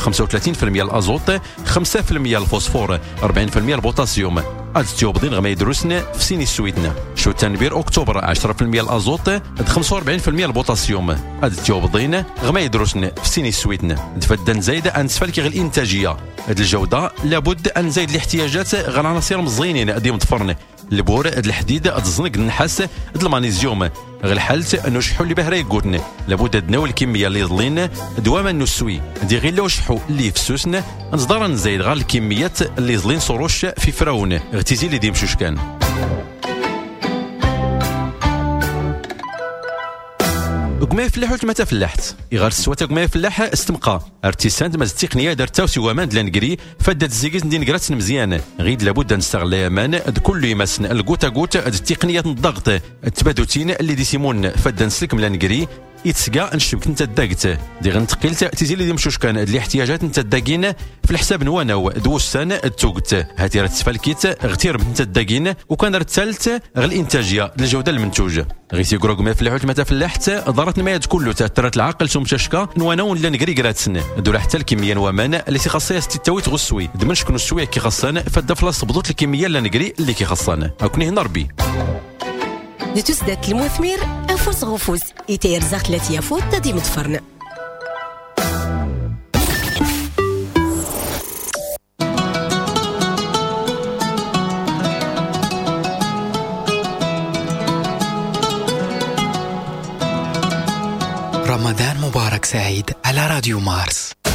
35% الازوت 5% الفوسفور 40% البوتاسيوم ادستيو بضين غما يدروسن في سيني السويتن شو تنبير اكتوبر 10% الازوت 45% البوتاسيوم ادستيو بضين غما يدروسن في سيني السويتن تفدن زايدة انسفالك غير الانتاجية هاد الجودة لابد ان زايد الاحتياجات غير العناصر مزينين ديما تفرن البور الحديد الزنك النحاس المغنيسيوم غير حالت نشحو اللي بهرا يقولن لابد دناو الكمية اللي ظلين دواما نسوي دي غير لو شحو اللي في سوسن نصدر نزيد غير الكميات اللي ظلين صروش في فراون اغتزي اللي ديمشوش كان. وكما فلاح ولا ما تفلحت يغار السواتا كما فلاح استمقى ارتيسانت ماز التقنية دارت تاوسي وامان لانكري فدات الزيكيز ندين كرات مزيان غيد لابد نستغل يامان كل يمسن الكوتا كوت التقنية الضغط التبادوتين اللي ديسيمون فدا نسلك من لانكري يتسقى نشبك انت داكت دي غنتقيلت تيزي اللي مشوش كان الاحتياجات انت داكين في الحساب نواناو دوسان التوقت هاتي راه تسفالكيت غتير انت داكين وكان راه الثالث غير الانتاجية الجودة المنتوج غير تيقرو ما فلاحوت ما تفلحت ضرت نمايد كله تاثرت العقل ثم تشكا نواناو لا نكري كراتسن دولا حتى الكمية نوامان اللي خاصها ستاويت غسوي دمن شكون السوي كي خاصنا فدا فلاص بضوط الكمية لا نكري اللي كي خاصنا اكوني هنا ربي نتسدت المثمر أفوس غفوس يتيرزق ثلاث يفوت تدي متفرن. رمضان مبارك سعيد على راديو مارس.